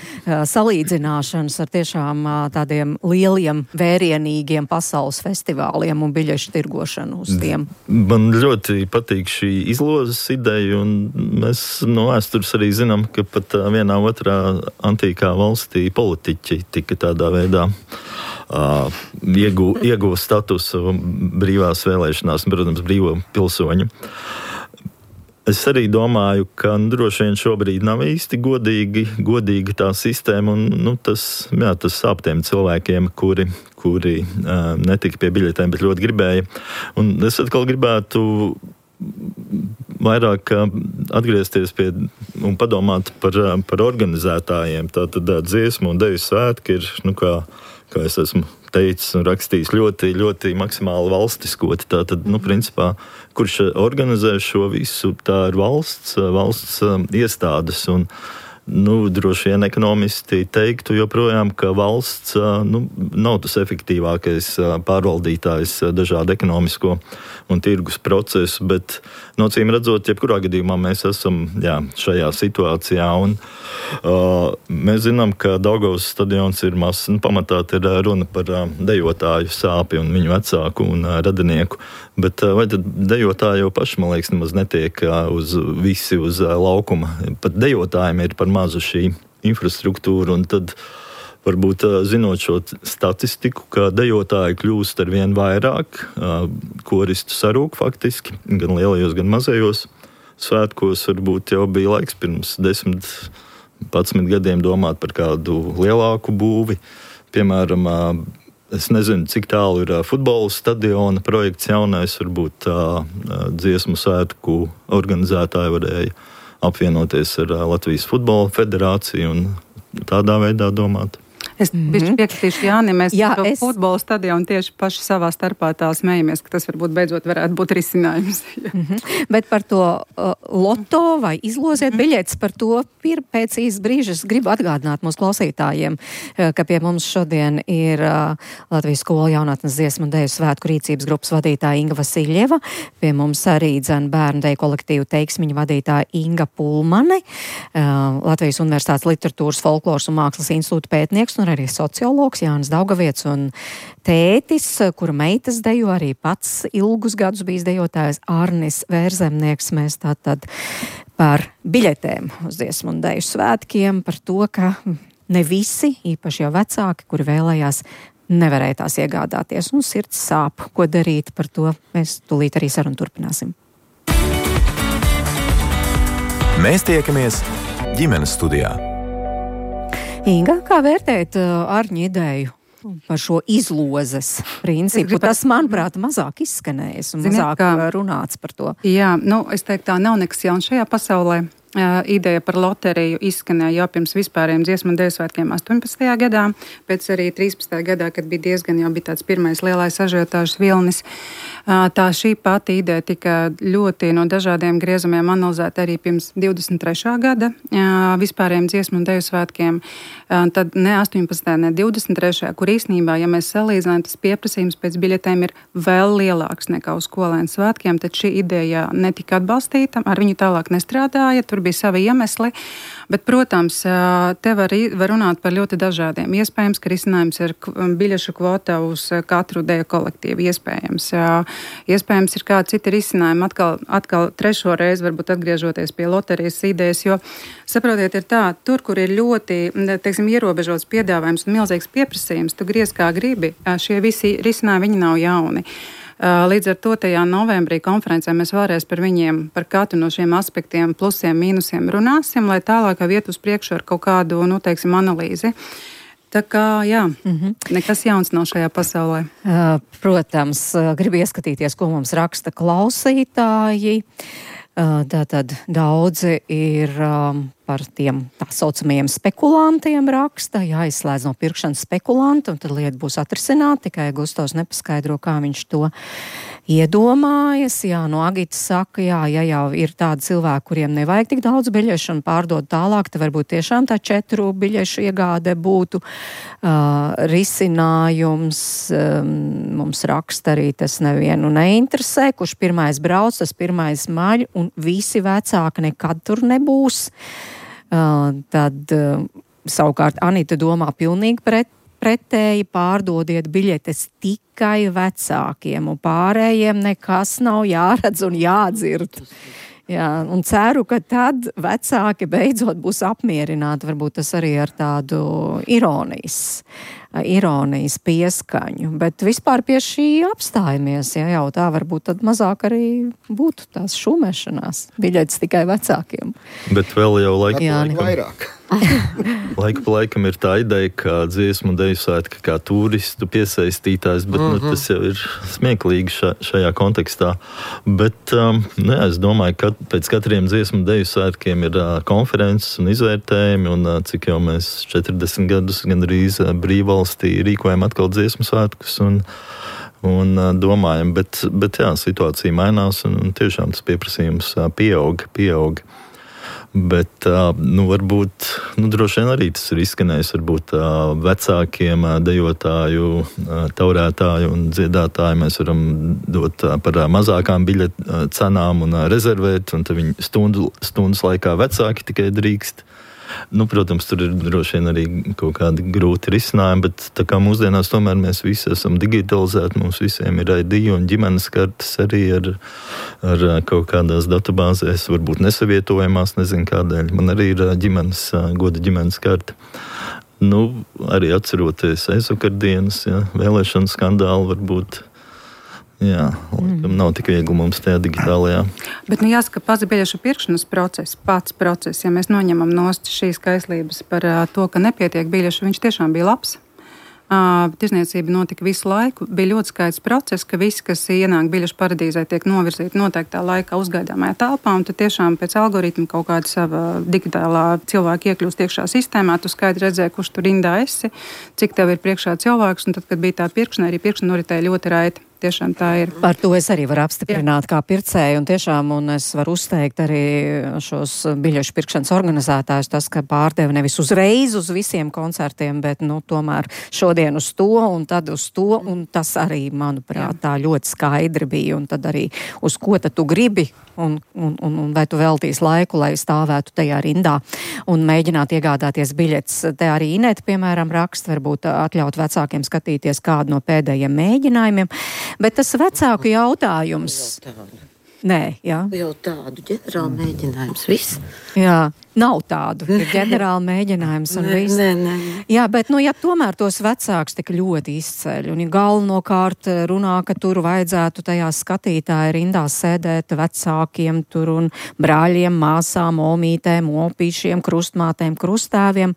salīdzināšanas ar tiešām uh, tādiem lieliem, vērienīgiem pasaules festivāliem un biļešu tirgošanu uz tiem. Man ļoti patīk šī izlozes ideja, un mēs no vēstures arī zinām, ka pat uh, vienā otrā antīkā valstī politiķi tika tādā veidā uh, iegū, iegū statusu brīvās vēlēšanās, protams, brīvo pilsoņu. Es arī domāju, ka nu, droši vien šobrīd nav īsti godīgi, godīgi tā sistēma, un nu, tas, jā, tas sāp tiem cilvēkiem, kuri, kuri uh, netika pie biļetēm, bet ļoti gribēja. Un es atkal gribētu vairāk atgriezties pie un padomāt par, par organizētājiem. Tātad dziesmu un deju svētki ir, nu, kā, kā es esmu teicis un rakstījis, ļoti, ļoti maksimāli valstiskoti. Tātad, nu, principā, kurš organizē šo visu, tā ir valsts, valsts iestādes. Un, nu, droši vien ekonomisti teiktu joprojām, ka valsts nu, nav tas efektīvākais pārvaldītājs dažādu ekonomisko un tirgus procesu, bet, nocīm redzot, jebkurā gadījumā mēs esam jā, šajā situācijā. Un, uh, mēs zinām, ka Daugavas stadions ir mazs, nu, pamatā ir runa par uh, dejotāju sāpi un viņu vecāku un uh, radinieku, bet uh, vai tad dejotāji jau paši, man liekas, nemaz netiek uh, uz visi uz uh, laukuma. Pat dejotājiem ir par mazu šī infrastruktūra, un tad varbūt zinot šo statistiku, ka dejotāji kļūst ar vien vairāk, koristu sarūk faktiski, gan lielajos, gan mazajos svētkos. Varbūt jau bija laiks pirms desmit, padsmit gadiem domāt par kādu lielāku būvi. Piemēram, es nezinu, cik tālu ir futbola stadiona projekts jaunais, varbūt tā dziesmu svētku organizētāji varēja apvienoties ar Latvijas futbola federāciju un tādā veidā domāt. Es bišķi piekritīšu Jāni, mēs Jā, to es... futbola stadionu tieši paši savā starpā tā smējamies, ka tas varbūt beidzot varētu būt risinājums. Mm-hmm. Bet par to uh, loto vai izloziet mm-hmm. biļetes, par to pir, pēc īsa brīža es gribu atgādināt mūsu klausītājiem, uh, ka pie mums šodien ir uh, Latvijas skolu jaunatnes dziesmu un deju svētku rīcības grupas vadītāja Inga Vasiļeva, pie mums arī dzen bērnu deju kolektīvu teiksmiņu vadītāja Inga Pulmane, uh, Latvijas Universitātes literatūras, folkloras un mākslas institūta pētnieks un arī sociologs Jānis Daugavietis un tētis, kura meitas dejo, arī pats ilgus gadus bijis dejotājs Arnis Vērzemnieks. Mēs tātad par biļetēm uz dziesmu un deju svētkiem, par to, ka ne visi, īpaši jau vecāki, kuri vēlējās, nevarēja tās iegādāties, un sirds sāp, ko darīt. Par to mēs tūlīt arī sarunu turpināsim. Mēs tiekamies ģimenes studijā. Inga, kā vērtēt uh, Arņa ideju par šo izlozes principu? Tas, manuprāt, mazāk izskanējis un Ziniet, mazāk kā... runāts par to. Jā, nu, es teiktu, tā nav nekas jauns šajā pasaulē. Uh, ideja par loteriju izskanēja jau pirms vispārējiem dziesmu un deju svētkiem astoņpadsmitajā gadā, pēc arī trīspadsmitajā gadā, kad bija diezgan jau bija tāds pirmais lielais ažiotāžas vilnis. Uh, tā šī pati ideja tika ļoti no dažādiem griezumiem analizēta arī pirms divdesmit trešā gada uh, vispārējiem dziesmu un deju svētkiem. Uh, tad ne astoņpadsmitajā, ne divdesmit trešajā, kur īstenībā, ja mēs salīdzinām, tas pieprasījums pēc biļetēm ir vēl lielāks nekā uz skolēnu svētkiem, tad šī ideja netika atbalstīta, ar viņu tālāk nestrādāja. Tur bija savi iemesli, bet, protams, te var, var runāt par ļoti dažādiem. Iespējams, ka risinājums ir biļešu kvota uz katru deju kolektīvu. Iespējams. Iespējams, ir kādi citi risinājumi. Atkal, atkal trešo reizi varbūt atgriežoties pie loterijas idejas, jo, saprotiet, ir tā, tur, kur ir ļoti, teiksim, ierobežots piedāvājums un milzīgs pieprasījums, tu griez kā gribi, šie visi risinājumi, viņi nav jauni. Līdz ar to tajā novembrī konferencē mēs vēlreiz par viņiem, par katru no šiem aspektiem, plusiem, mīnusiem runāsim, lai tālāk iet uz priekšu ar kaut kādu, nu, teiksim, analīzi. Tā kā, jā, mm-hmm. nekas jauns nav šajā pasaulē. Protams, gribu ieskatīties, ko mums raksta klausītāji. Tātad daudzi ir um, par tiem tā saucamajiem spekulantiem raksta, jāizslēdz no pirkšanas spekulanti, un tad lieta būs atrisināta, tikai Gustavs nepaskaidro, kā viņš to iedomājas. Jā, no Agitas saka, jā, ja jau ir tādi cilvēki, kuriem nevajag tik daudz biļešu un pārdod tālāk, tad varbūt tiešām tā četru biļešu iegāde būtu uh, risinājums. Um, mums raksta arī tas nevienu neinteresē, kurš pirmais brauc, tas pirmais maļ, un visi vecāki nekad tur nebūs. Uh, tad uh, savukārt Anita domā pilnīgi pret, pretēji, pārdodiet biļetes tikai vecākiem, un pārējiem nekas nav jāredz un jādzird. Jā, un ceru, ka tad vecāki beidzot būs apmierināti, varbūt tas arī ar tādu ironijas ironijas pieskaņu, bet vispār pie šī apstājamies, ja jau tā varbūt tad mazāk arī būtu tās šumēšanās, biļetes tikai vecākiem. Bet vēl jau laika Jā, laikam, vairāk. laika pa laikam ir tā ideja, ka dziesmu un deju svētki kā turistu piesaistītājs, bet mm-hmm. nu, tas jau ir smieklīgi ša, šajā kontekstā. Bet um, ne, es domāju, ka pēc katriem dziesmu un deju svētkiem ir uh, konferences un izvērtējumi, un uh, cik jau mēs četrdesmit gadus gandrīz uh, brīvvalstī rīkojam atkal dziesmu svētkus un, un uh, domājam, bet, bet jā, situācija mainās un, un tiešām tas pieprasījums uh, pieaug, pieaug. Bet, nu, varbūt, nu, droši vien arī tas ir izskanējis, varbūt vecākiem dejotāju, taurētāju un dziedātāju mēs varam dot par mazākām biļetu cenām un rezervēt, un tad viņi stundu, stundas laikā vecāki tikai drīkst. Nu, protams, tur ir droši vien arī kaut kādi grūti risinājumi, bet tā kā mūsdienās tomēr mēs visi esam digitalizēti, mums visiem ir I D un ģimenes kartes arī ar, ar kaut kādās datubāzēs, varbūt nesavietojamās, nezinu kādēļ. Man arī ir ģimenes, goda ģimenes karte. Nu, arī atceroties aizvakardienas, ja, vēlēšanu skandālu varbūt. Jā, laikam nav tik viegli mums tajā digitālajā. Bet, nu, jāsaka, pats biļešu pirkšanas process, pats process, ja mēs noņemam nost šīs kaislības par uh, to, ka nepietiek biļešu, viņš tiešām bija labs. Uh, tirzniecība notika visu laiku. Bija ļoti skaidrs process, ka visi, kas ienāk biļešu paradīzē, tiek novirzīti noteiktā laikā uzgaidāmajā telpā, un tad tiešām pēc algoritma kaut kāda sava digitālā cilvēka iekļūst iekšā sistēmā, tu skaidri redzēji, kurš tur rindā esi, cik tev ir priekšā cilvēks, un tad, kad bija tā pirkšana, arī pirkšana noritēja ļoti raiti. Tiešām tā ir. Par to es arī varu apstiprināt Jā. Kā pircēju, un tiešām, un es varu uzteikt arī šos biļešu pirkšanas organizētājus, tas, ka pārdeva nevis uzreiz uz visiem koncertiem, bet, nu, tomēr šodien uz to, un tad uz to, un tas arī, manuprāt, Jā. Tā ļoti skaidri bija, un tad arī uz ko tad tu gribi, un, un, un, un vai tu veltīs laiku, lai stāvētu tajā rindā, un mēģināt iegādāties biļetes. Te arī Ineta, piemēram, raksta, varbūt atļaut vecākiem skatīties kādu no pēdējiem mēģinājumiem. Bet tas vecāku jautājums. Nē, jā. Jau tādu ģenerālu mēģinājums, viss. Jā, nav tādu. Ir ģenerāli mēģinājums un viss. Nē, nē, nē. Jā, bet, nu, ja tomēr tos vecāks tik ļoti izceļ, un ja galvenokārt runā, ka tur vajadzētu tajā skatītāja rindās sēdēt vecākiem tur un brāļiem, māsām, omītēm, opīšiem, krustmātēm, krustāviem,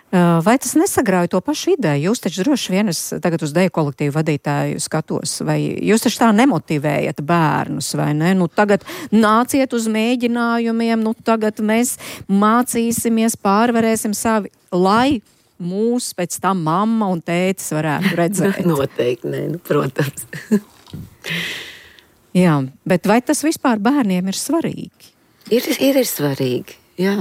vai tas nesagrauj to pašu ideju? Jūs taču droši vien, es tagad uz deju kolektīvu vadītāju skatos, vai jūs taču tā nemotivējat bērnus, vai ne? Nu, tagad nāciet uz mēģinājumiem, nu, tagad mēs mācīsimies, pārvarēsim savi, lai mūs pēc tam mamma un tētis varētu redzēt. Noteikti, nē, nu, protams. Jā, bet vai tas vispār bērniem ir svarīgi? Ir, ir, ir svarīgi, jā.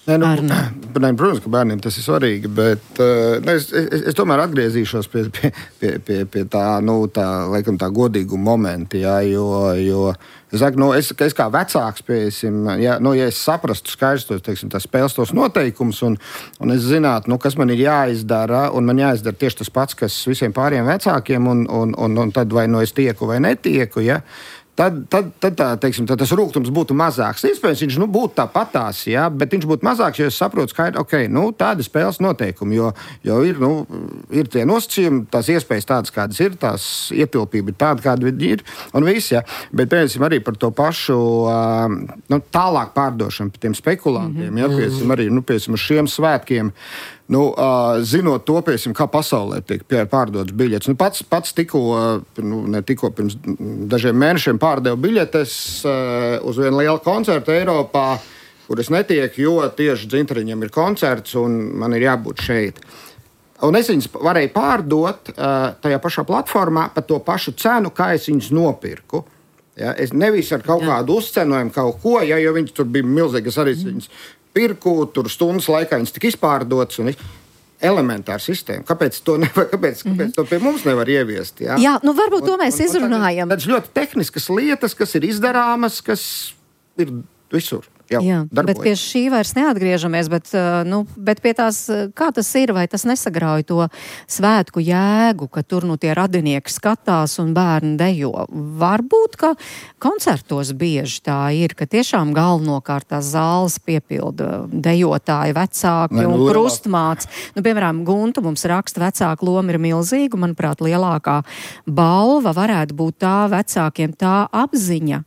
Nē, nu, ne, protams, ka bērniem tas ir svarīgi, bet uh, ne, es, es, es tomēr atgriezīšos pie, pie, pie, pie, pie tā, nu, tā, laikam, tā godīguma momenta, jā, jo, jo es saku, nu, es, es kā vecāks, piesim, ja, nu, ja es saprastu skaidrs tos, teiksim, tās spēles tos noteikumus, un, un es zinātu, nu, kas man ir jāizdara, un man jāizdara tieši tas pats, kas visiem pāriem vecākiem, un, un, un, un tad vai nu es tieku vai netieku, ja, Tad, tad, tad, tā, teiksim, tad tas rūgtums būtu mazāks. Iespējams, viņš nu, būtu tāpatās, ja, bet viņš būtu mazāks, jo es saprotu, ka okay, nu, tāda spēles noteikumi, jo, jo ir, nu, ir tie nosacījumi, tās iespējas tādas, kādas ir, tās ietilpība ir tāda, kāda ir, un viss, ja. Bet, piemēram, arī par to pašu uh, nu, tālāk pārdošanu par tiem spekulantiem, mm-hmm. ja, piemēram, arī, nu, piemēram, uz šiem svētkiem, Nu, uh, zinot to, piemēram, kā pasaulē tiek pārdotas biļetes. Nu, pats pats tikko, nu, ne tikko pirms dažiem mēnešiem pārdevu biļetes uh, uz vienu lielu koncertu Eiropā, kur es netieku, jo tieši Dzinteriņam ir koncerts un man ir jābūt šeit. Un es viņus varēju pārdot uh, tajā pašā platformā par to pašu cenu, kā es viņus nopirku. Ja, es nevis ar kaut kādu uzcenojumu kaut ko, ja, jo viņi tur bija milzīgi, es arī viņus pirku, tur stundas laikā viņas tika izpārdotas un elementāra sistēma. Kāpēc to, nevar, kāpēc, mm-hmm. kāpēc to pie mums nevar ieviest? Jā, jā nu varbūt to mēs un, un, izrunājam. Tādas ļoti tehniskas lietas, kas ir izdarāmas, kas ir visur. jau Jā, darbojas. Bet pie šī vairs neatgriežamies, bet, nu, bet pie tās, kā tas ir, vai tas nesagrauj to svētku jēgu, ka tur nu tie radinieki skatās un bērni dejo. Varbūt, ka koncertos bieži tā ir, ka tiešām galvenokārt tās zāles piepilda dejotāji, vecāki ne, nu, un krustmāts. Nu, piemēram, Gunta mums raksta, vecāku loma ir milzīga, manuprāt, lielākā balva varētu būt tā vecākiem tā apziņa,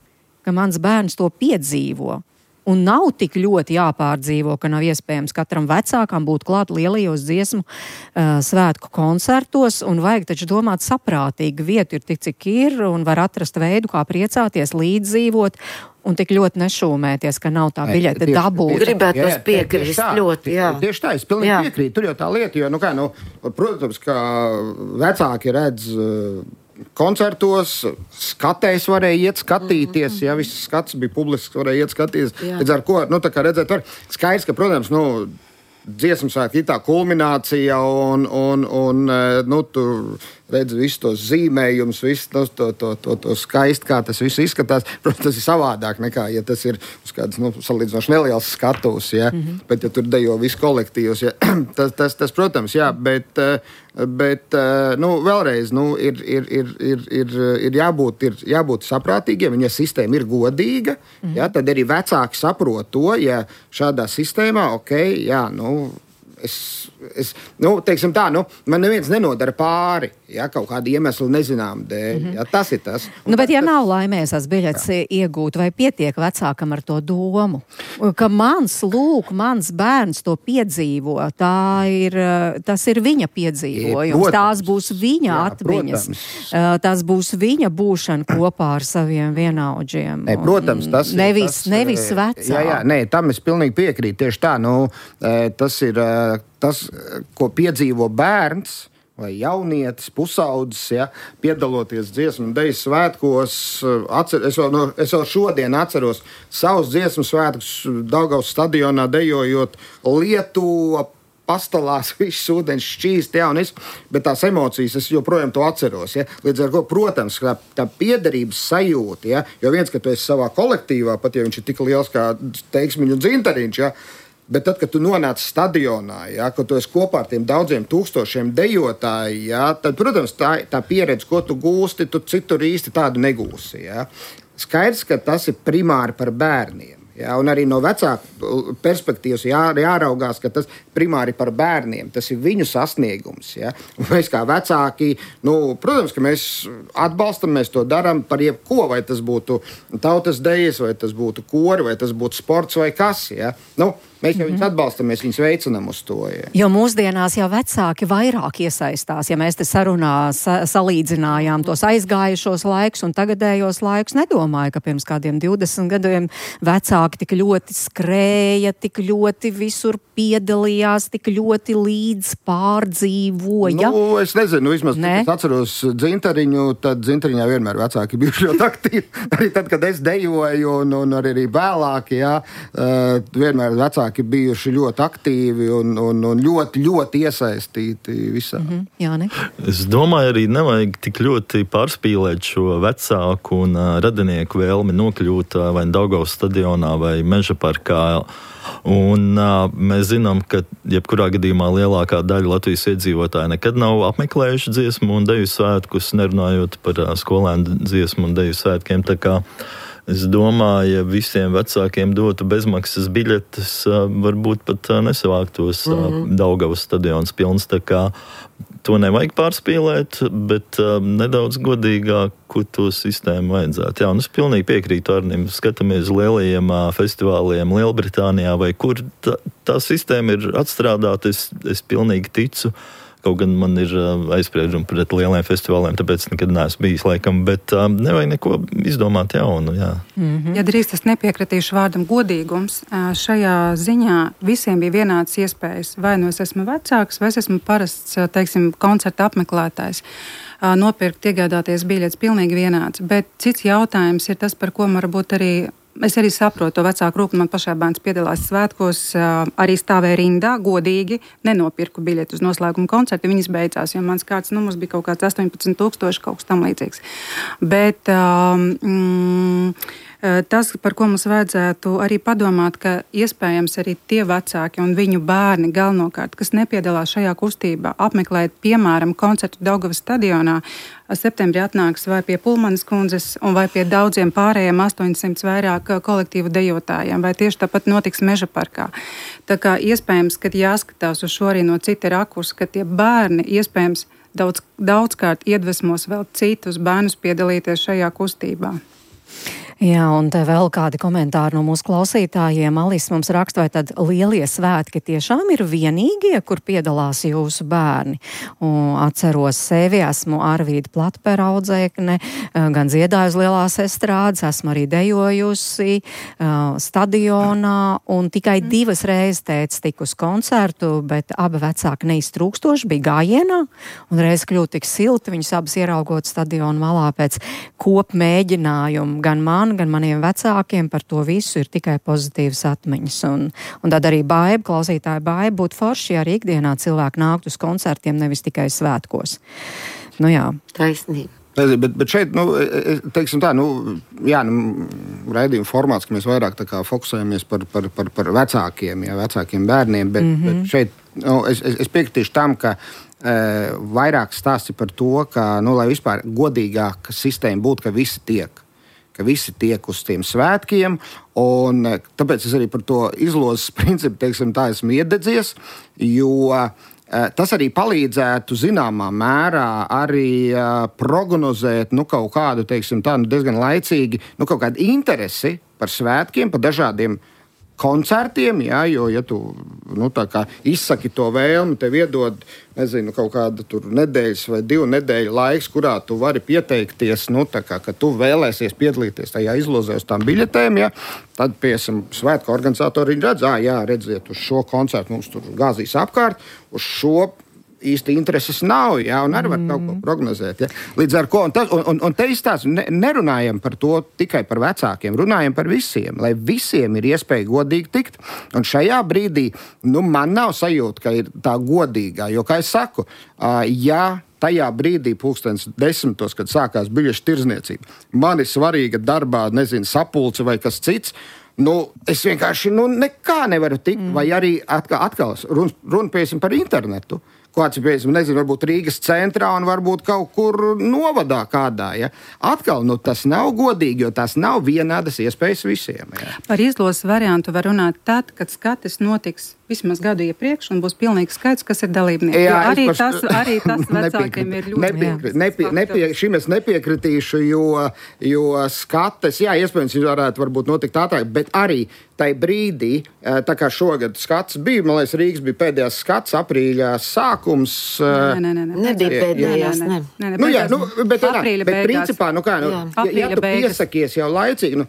ka mans bērns to piedzīvo. Un nav tik ļoti jāpārdzīvo, ka nav iespējams katram vecākam būt klāt lielajos dziesmu uh, svētku koncertos, un vajag taču domāt saprātīgi, vietu ir tik, cik ir, un var atrast veidu, kā priecāties, līdzdzīvot, un tik ļoti nešūmēties, ka nav tā biļete dabūt. Gribētu tos piekrist ļoti, jā. Tieši tā, es pilnīgi jā. piekrītu, tur jau tā lieta, jo, nu kā, nu, protams, ka vecāki redz koncertos, skatēs varēja iet skatīties, ja viss skats bija publisks, varēja iet skatīties. Līdz ar ko, nu tā kā redzēt, var skaidrs, ka, protams, nu, dziesmu svētki ir tā kulminācija un, un, un nu, tur redz visus tos zīmējumus, visu to, to, to, to, to skaisti, kā tas viss izskatās. Protams, tas ir savādāk nekā, ja tas ir uz kādas, nu, salīdzinoši neliels skatuves, ja, mm-hmm. bet ja tur dejo visu kolektīvus, ja, tas, tas, tas, protams, jā, bet, bet, nu, vēlreiz, nu, ir, ir, ir, ir, ir, ir, jābūt, ir jābūt saprātīgiem, un ja sistēma ir godīga, mm-hmm. ja, tad arī vecāki saprot to, ja šādā sistēmā, ok, jā, nu, Es, es, nu, teiksim tā, nu, man neviens nenodara pāri, ja, kaut kādu iemeslu nezinām dēļ. Mm-hmm. Ja, tas ir tas. Un nu, bet ja tas, nav laimēs tās biļetes iegūt, vai pietiek vecākam ar to domu, ka mans lūk, mans bērns to piedzīvo, tā ir, tas ir viņa piedzīvojums, tās būs viņa jā, atmiņas, protams. Tās būs viņa būšana kopā ar saviem vienaudžiem. Ne, protams, tas ir. Nevis, tas, nevis vecā. Jā, jā, nē, tam es pilnīgi piekrītu. Tieši tā, nu, tas ir tas, ko piedzīvo bērns vai jaunietis, pusaudzis, ja, piedaloties dziesmu un deju svētkos. Atcer, es, vēl, no, es vēl šodien atceros savus dziesmu svētkus Daugavas stadionā dejojot Lietuva, pastalās, viss ūdens šķīst, ja, un es, bet tās emocijas es joprojām to atceros. Ja. Līdz ar ko, protams, tā, tā piederības sajūta, ja, jo viens, ka tu esi savā kolektīvā, pat ja viņš ir tik liels kā Teiksmiņu un Dzintariņš, ja, bet tad, kad tu nonāc stadionā, ja, kad tu esi kopā ar tiem daudziem tūkstošiem dejotāji, ja, tad, protams, tā, tā pieredze, ko tu gūsti, tu citur īsti tādu negūsi. Ja. Skaidrs, ka tas ir primāri par bērniem. Ja, un arī no vecāku perspektīvas jā, jāraugās, ka tas primāri par bērniem, tas ir viņu sasniegums. Ja. Un mēs kā vecāki, nu, protams, ka mēs atbalstam, mēs to darām par jebko, vai tas būtu tautas dejas, vai tas būtu kori, vai tas būtu sports vai kas. Ja. Nu, mēs jau viņus atbalstam, mēs viņus veicinām uz to. Ja. Jo mūsdienās jau vecāki vairāk iesaistās. Ja mēs te sarunā sa- salīdzinājām tos aizgājušos laikus un tagadējos laikus, nedomāju, ka pirms kādiem divdesmit gadiem vecāki tik ļoti skrēja, tik ļoti visur piedalījās, tik ļoti līdz pārdzīvoja. Nu, es nezinu, vismaz, ne? Es atceros Dzintariņu, tad Dzintariņā vienmēr vecāki bijuši ļoti aktīvi. Arī tad, kad es dejoju un, un arī, arī vēlāk, jā, uh, vienmēr vecāki bijuši ļoti aktīvi un, un, un ļoti, ļoti iesaistīti visā. Mm-hmm. Jā, ne? Es domāju, arī nevajag tik ļoti pārspīlēt šo vecāku un uh, radinieku vēlmi nokļūt uh, vai Daugavas stadionā vai Meža parkā. Un uh, mēs zinām, ka jebkurā gadījumā lielākā daļa Latvijas iedzīvotāji nekad nav apmeklējuši dziesmu un deju svētkus, nerunājot par uh, skolēnu dziesmu un deju svētkiem. Tā kā es domāju, ja visiem vecākiem dotu bezmaksas biļetes, varbūt pat nesavāktos mm-hmm. Daugavas stadions pilns. Tā kā to nevajag pārspīlēt, bet nedaudz godīgāku to sistēmu vajadzētu. Jā, un es pilnīgi piekrītu Arnim. Skatāmies lielajiem festivāliem Lielbritānijā, vai kur tā, tā sistēma ir atstrādāta, es, es pilnīgi ticu. Kaut gan man ir aizspriedumi pret lieliem festivāliem, tāpēc nekad neesmu bijis laikam, bet um, nevajag neko izdomāt jaunu. Jā. Mm-hmm. Ja drīz es nepiekritīšu vārdam godīgums, šajā ziņā visiem bija vienāds iespējas. Vai nu es esmu vecāks, vai es esmu parasts, teiksim, koncerta apmeklētājs. Nopirkt, iegādāties biļetes pilnīgi vienāds. Bet cits jautājums ir tas, par ko varbūt arī es arī saprotu to vecāku rūpību. Man pašā bērns piedalās svētkos, arī stāvēja rindā, godīgi, nenopirku biļeti uz noslēguma koncertu. Viņas beidzās, jo mans kārtas numurs bija kaut kāds astoņpadsmit tūkstoši, kaut kas tam līdzīgs. Bet um, Tas, par ko mums vajadzētu arī padomāt, ka iespējams arī tie vecāki un viņu bērni galvenokārt, kas nepiedalās šajā kustībā, apmeklēt, piemēram, koncertu Daugavas stadionā, septembrī atnāks vai pie Pulmanas kundzes un vai pie daudziem pārējiem astoņsimt vairāk kolektīvu dejotājiem, vai tieši tāpat notiks Meža parkā. Tā kā iespējams, ka jāskatās uz šo arī no cita rakursa, ka tie bērni iespējams daudz, daudzkārt iedvesmos vēl citus bērnus piedalīties šajā kustībā. Jā, un te vēl kādi komentāri no mūsu klausītājiem. Alis mums raksta, vai tad lielie svētki tiešām ir vienīgie, kur piedalās jūsu bērni. Un atceros sevi, esmu Arvīda Platpera audzēkne, gan dziedāju uz lielās estrādes, esmu arī dejojusi uh, stadionā, un tikai divas reizes teica tik uz koncertu, bet abi vecāki neiztrūkstoši bija gājienā, un reiz kļūt tik silti, viņus abas ieraugot stadionu malā pēc kopmēģinājumu, gan man, gan maniem vecākiem par to visu ir tikai pozitīvas atmiņas. Un, un tad arī baiba, klausītāja baiba būtu forši, ja arī ikdienā cilvēki nākt uz koncertiem, nevis tikai svētkos. Nu jā. Taisnība. Bet, bet šeit, nu, teiksim tā, nu, jā, nu, raidījuma formāts, ka mēs vairāk tā kā fokusējamies par, par, par, par vecākiem, jā, vecākiem bērniem, bet, mm-hmm. bet šeit, nu, es, es piekritīšu tam, ka e, vairāk stāsti par to, ka, nu, lai vispār godīgāka sistēma būtu, ka visi tiek. ka visi tiek uz tiem svētkiem, un tāpēc es arī par to izlozes principu, teiksim, tā esmu iededzies, jo tas arī palīdzētu zināmā mērā arī prognozēt, nu, kaut kādu, teiksim, tā, nu, diezgan laicīgi, nu, kaut kādu interesi par svētkiem, par dažādiem koncertiem, jā, jo, ja tu, nu, tā kā izsaki to vēlmi, tev iedod, nezinu, kaut kāda tur nedēļas vai divu nedēļu laiks, kurā tu vari pieteikties, nu, tā kā, ka tu vēlēsies piedalīties tajā izlozē uz tām biļetēm, jā, tad, piemēram, svētku organizatori redz, ā, jā, redziet, uz šo koncertu mums tur gāzīs apkārt, uz šo īsti intereses nav, jā, un arī var kaut ko prognozēt. Jā. Līdz ar ko, un, tas, un, un te izstāst, ne, nerunājam par to tikai par vecākiem, runājam par visiem, lai visiem ir iespēja godīgi tikt. Un šajā brīdī, nu, man nav sajūta, ka ir tā godīgā, jo, kā es saku, ja tajā brīdī, pulkstens desmitos, kad sākās biļešu tirzniecība, man ir svarīga darbā, nezinu, sapulce vai kas cits, nu, es vienkārši, nu, nekā nevaru tikt, mm. vai arī atkal, atkal run, runpiesim par internetu. Kāds ir, nezinu, varbūt Rīgas centrā un varbūt kaut kur novadā kādā. Ja? Atkal, nu, tas nav godīgi, jo tas nav vienādas iespējas visiem. Ja? Par izlozes variantu var runāt tad, kad skatis notiks vismaz gadu iepriekš un būs pilnīgi skaidrs, kas ir dalībnieki. Jā, arī, par... tas, arī tas vecākiem ir ļoti nepiekri, nepie, nepie, šim es nepiekritīšu, jo, jo skates, jā, iespējams, varētu varbūt notikt ātrāk, bet arī tai brīdī, tā kā šogad skats bija, man liekas, Rīgas bija pēdējās skats, aprīļā sākums. Nē, nē, nē. nē. Nebija pēdējās, nē. nē, nē nu, jā, nu, bet, aprīļa bet principā, nu kā, nu, ja, ja tu beigas. Piesakies jau laicīgi, nu,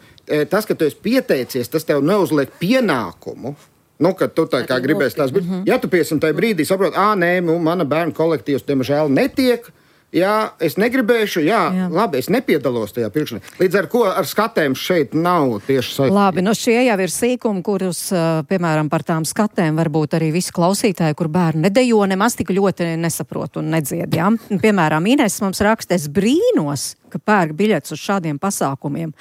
tas, ka tu esi pieteicies, tas tev neuzliek pienākumu. Nu, kad tu tā kā gribēsi tās būt. Ja tu piesim tajā brīdī saproti, ā, nē, nu, mana bērnu kolektīvs, diemžēl, netiek, jā, es negribēšu, jā, jā. Labi, es nepiedalos tajā pirkšanā. Līdz ar ko ar skatēm šeit nav tieši saistība. Labi, nu šie jau ir sīkumi, kurus, piemēram, par tām skatēm varbūt arī visi klausītāji, kur bērni nedejo, nemaz tik ļoti nesaprot un nedzied, jā. Piemēram, Ines mums raksta, es brīnos, ka pērk biļetes uz šādiem pasākumiem.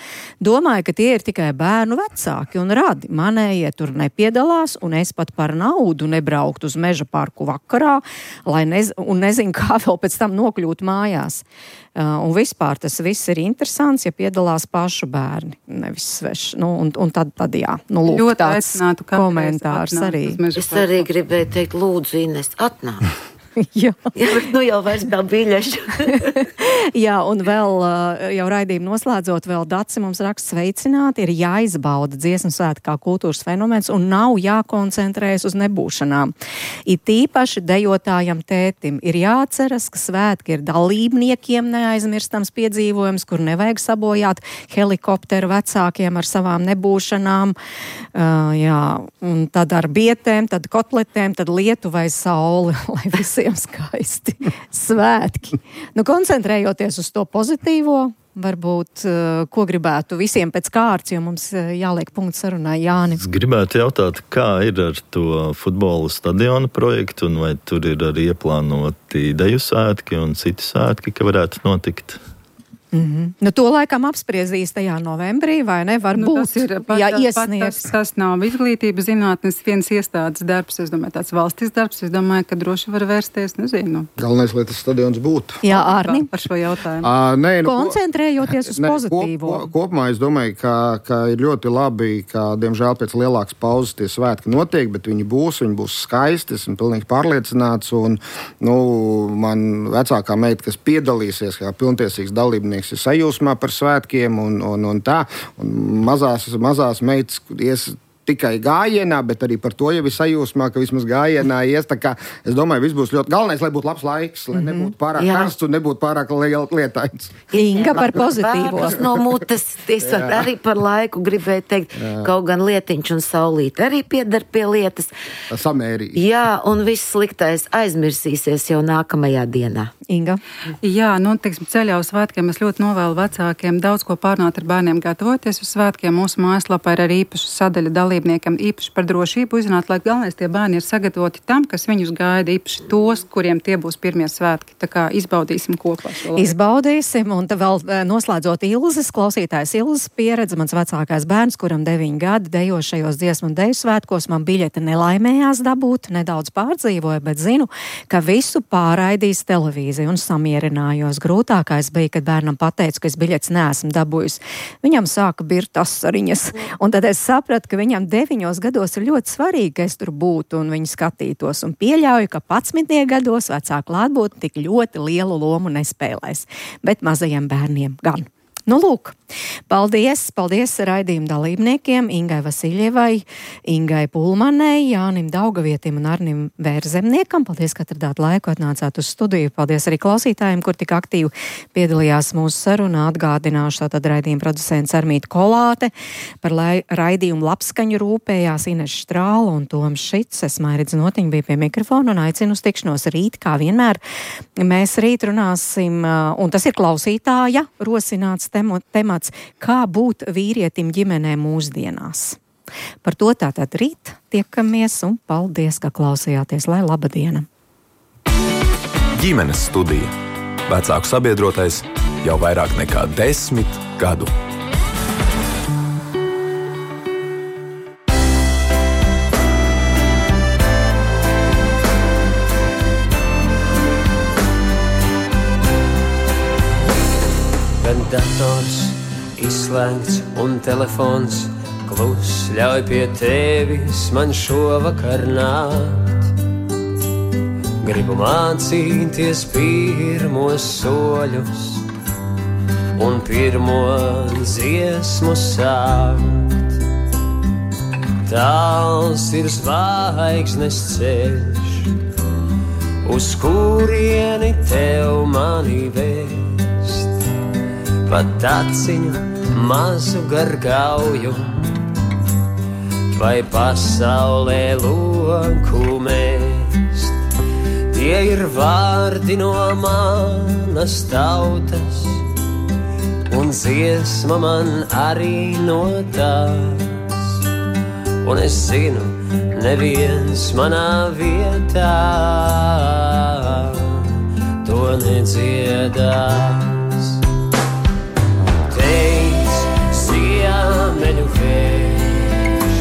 Domāju, ka tie ir tikai bērnu vecāki un radi. Manējie tur nepiedalās, un es pat par naudu nebrauktu uz Meža parku vakarā, lai nez, un nezinu, kā vēl pēc tam nokļūt mājās. Uh, un vispār tas viss ir interesants, ja piedalās pašu bērni, nevis sveši. Nu, un, un tad, tad jā, nu, lūk, ļoti tāds komentārs arī. Es arī gribēju teikt, lūdzu, Ines, atnāk. Jā. Jā, bet nu jau vairs nav biļešu. Jā, un vēl jau raidījumu noslēdzot, vēl Daci mums raksta sveicināti, ir jāizbauda dziesmu svētki kā kultūras fenomens un nav jākoncentrējas uz nebūšanām. It īpaši dejotājam tētim ir jāatceras, ka svētki ir dalībniekiem neaizmirstams piedzīvojums, kur nevajag sabojāt helikopteru vecākiem ar savām nebūšanām. Uh, jā, un tad ar bietēm, tad kotletēm, tad lietu vai sauli, lai visi skaisti svētki. Nu, koncentrējoties uz to pozitīvo, varbūt, uh, ko gribētu visiem pēc kārtas, jo mums uh, jāliek punkts sarunai. Jāni. Es gribētu jautāt, kā ir ar to futbola stadiona projektu, un vai tur ir arī ieplānoti deju svētki un citi svētki, ka varētu notikt? Mm-hmm. Nu, to laikam apspriezīs tajā novembrī, vai ne? Varbūt, nu, tas ir, pat, ja pat, iesniegs. Tas, tas nav izglītības zinātnes viens iestādes darbs, es domāju, tāds valstis darbs, es domāju, ka droši var vērsties, nezinu. Galvenais, lai tas stadions būtu. Jā, Ārni. Par šo jautājumu. Uh, nē, nu, koncentrējoties uz ne, pozitīvo. Kop, kopumā es domāju, ka, ka ir ļoti labi, ka, diemžēl, pēc lielākas pauzes tie svētki notiek, bet viņi būs, viņi būs skaisti, esmu pilnīgi pārliecināts, un, nu, man vecākā meita, kas piedalīsies kā pilntiesīgs dalībnieks, ir sajūsmā par svētkiem un, un, un tā, un mazās, mazās meitas ies tikai gājienā, bet arī par to jau ir sajūsmā, ka vismaz gājienā ies, tā kā es domāju, viss būs ļoti galvenais, lai būtu labs laiks, lai nebūtu pārāk karsts un nebūtu pārāk lietains. Inga par pozitīvo. Vārds no mutes, es arī par laiku gribēju teikt, jā. Kaut gan lietiņš un saulīte arī piedar pie lietas. Samērīgi. Jā, un viss sliktais aizmirsīsies jau nākamajā dienā. Inga? Jā, nu, teiksim, ceļā uz svētkiem es ļoti novēlu vecākiem daudz ko pārnāt ar bērniem, gatavoties uz svētkiem. Mūsu mājaslapā ir arī īpaša sadaļa dalībniekiem, īpaši par drošību uzzināt, lai galvenais tie bērni ir sagatavoti tam, kas viņus gaida, īpaši tos, kuriem tie būs pirmie svētki. Tā kā izbaudīsim kopā šo laiku. Izbaudīsim, un vēl noslēdzot Ilzes, klausītājs Ilzes pieredze, mans vecākais bērns, kuram deviņi gadi dejošajos dziesmu un deju svētkos, man biļete nelaimējās dabūt, nedaudz pārdzīvoja, bet zinu, ka visu pārraidīs televīzija. Un samierinājos. Grūtākais bija, kad bērnam pateicu, ka es biļetes neesmu dabūjusi. Viņam sāka birt asariņas. Un tad es sapratu, ka viņam deviņos gados ir ļoti svarīgi, ka es tur būtu un viņu skatītos. Un pieļauju, ka padsmitie gados vecāku klātbūtne tik ļoti lielu lomu nespēlēs. Bet mazajiem bērniem gan. Nu, lūk, paldies, paldies raidījuma dalībniekiem Ingai Vasiļievai, Ingai Pulmanei, Jānim Daugavietim un Arnim Vērzemniekam. Paldies, ka atradāt laiku, atnācāt uz studiju. Paldies arī klausītājiem, kur tik aktīvi piedalījās mūsu sarunā. Atgādināšu tātad raidījuma producents Armīta Kolāte, par lai, raidījumu labskaņu rūpējās Ines Štrāla un Toms Šits. Es Mairidz Notiņa bija pie mikrofona un aicinu uz tikšanos rīt, kā vienmēr. Mēs rīt runāsim, un tas ir klausītāja rosināts temats, kā būt vīrietim ģimenē mūsdienās. Par to tātad rīt tiekamies un paldies, ka klausījāties, lai laba diena. Ģimenes studija. Vecāku sabiedrotais jau vairāk nekā desmit gadu. Dators izslēgts un telefons klus ļauj pie tevis man šovakar nākt. Gribu mācīties pirmos soļus un pirmo dziesmu sākt. Tāls ir zvaigznes ceļš, uz kurieni tev mani vēst. Pat aciņu mazu gargauju, vai pasaulē loku mēst. Tie ir vārdi no manas tautas, un dziesma man arī no tās. Un es zinu, neviens manā vietā to nedziedās. Ziemeļu vējš,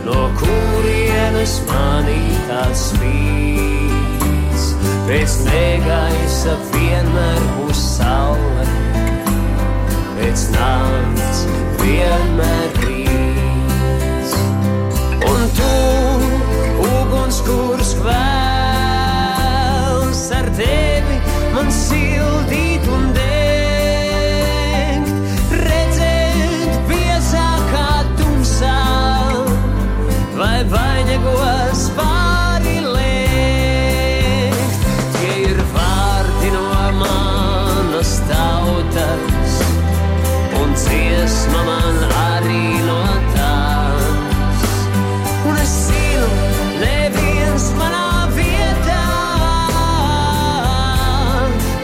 no kurienes manī tāds spīdz. Pēc negaisa vienmēr būs saule, pēc nakts vienmēr rīts. Un tu, uguns, kurs kvēls, ar tevi man sildīt un degt. Vai vainagos pāri liekt. Tie ir vārdi no manas tautas, un dziesma man arī no tās. Un es zinu, neviens manā vietā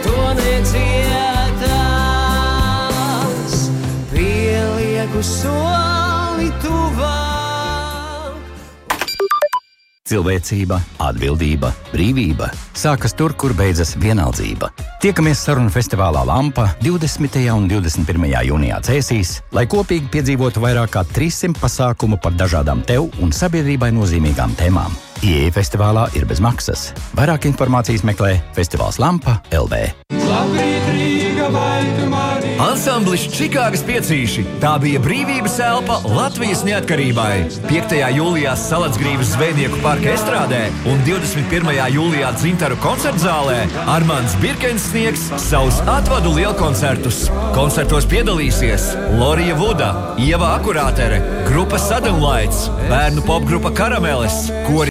to nedziedās. Pielieku soli tuvāk. Cilvēcība, atbildība, brīvība sākas tur, kur beidzas vienaldzība. Tiekamies sarunu festivālā Lampa divdesmitajā un divdesmit pirmajā jūnijā Cēsīs, lai kopīgi piedzīvotu vairāk kā trīssimt pasākumu par dažādām tev un sabiedrībai nozīmīgām tēmām. Ieeja festivālā ir bez maksas. Vairāk informācijas meklē festivāls Lampa L V. Ansamblis Čikāgas piecīši. Tā bija brīvības elpa Latvijas neatkarībai. piektajā jūlijā Salacgrīvas zvejnieku parka estrādē un divdesmit pirmajā jūlijā Dzintaru koncertzālē Armands Birkens sniegs savus atvadu lielkoncertus. Koncertos piedalīsies Lorija Vuda, Ieva Akurātere, grupa Sudden Lights, bērnu popgrupa Karameles, kori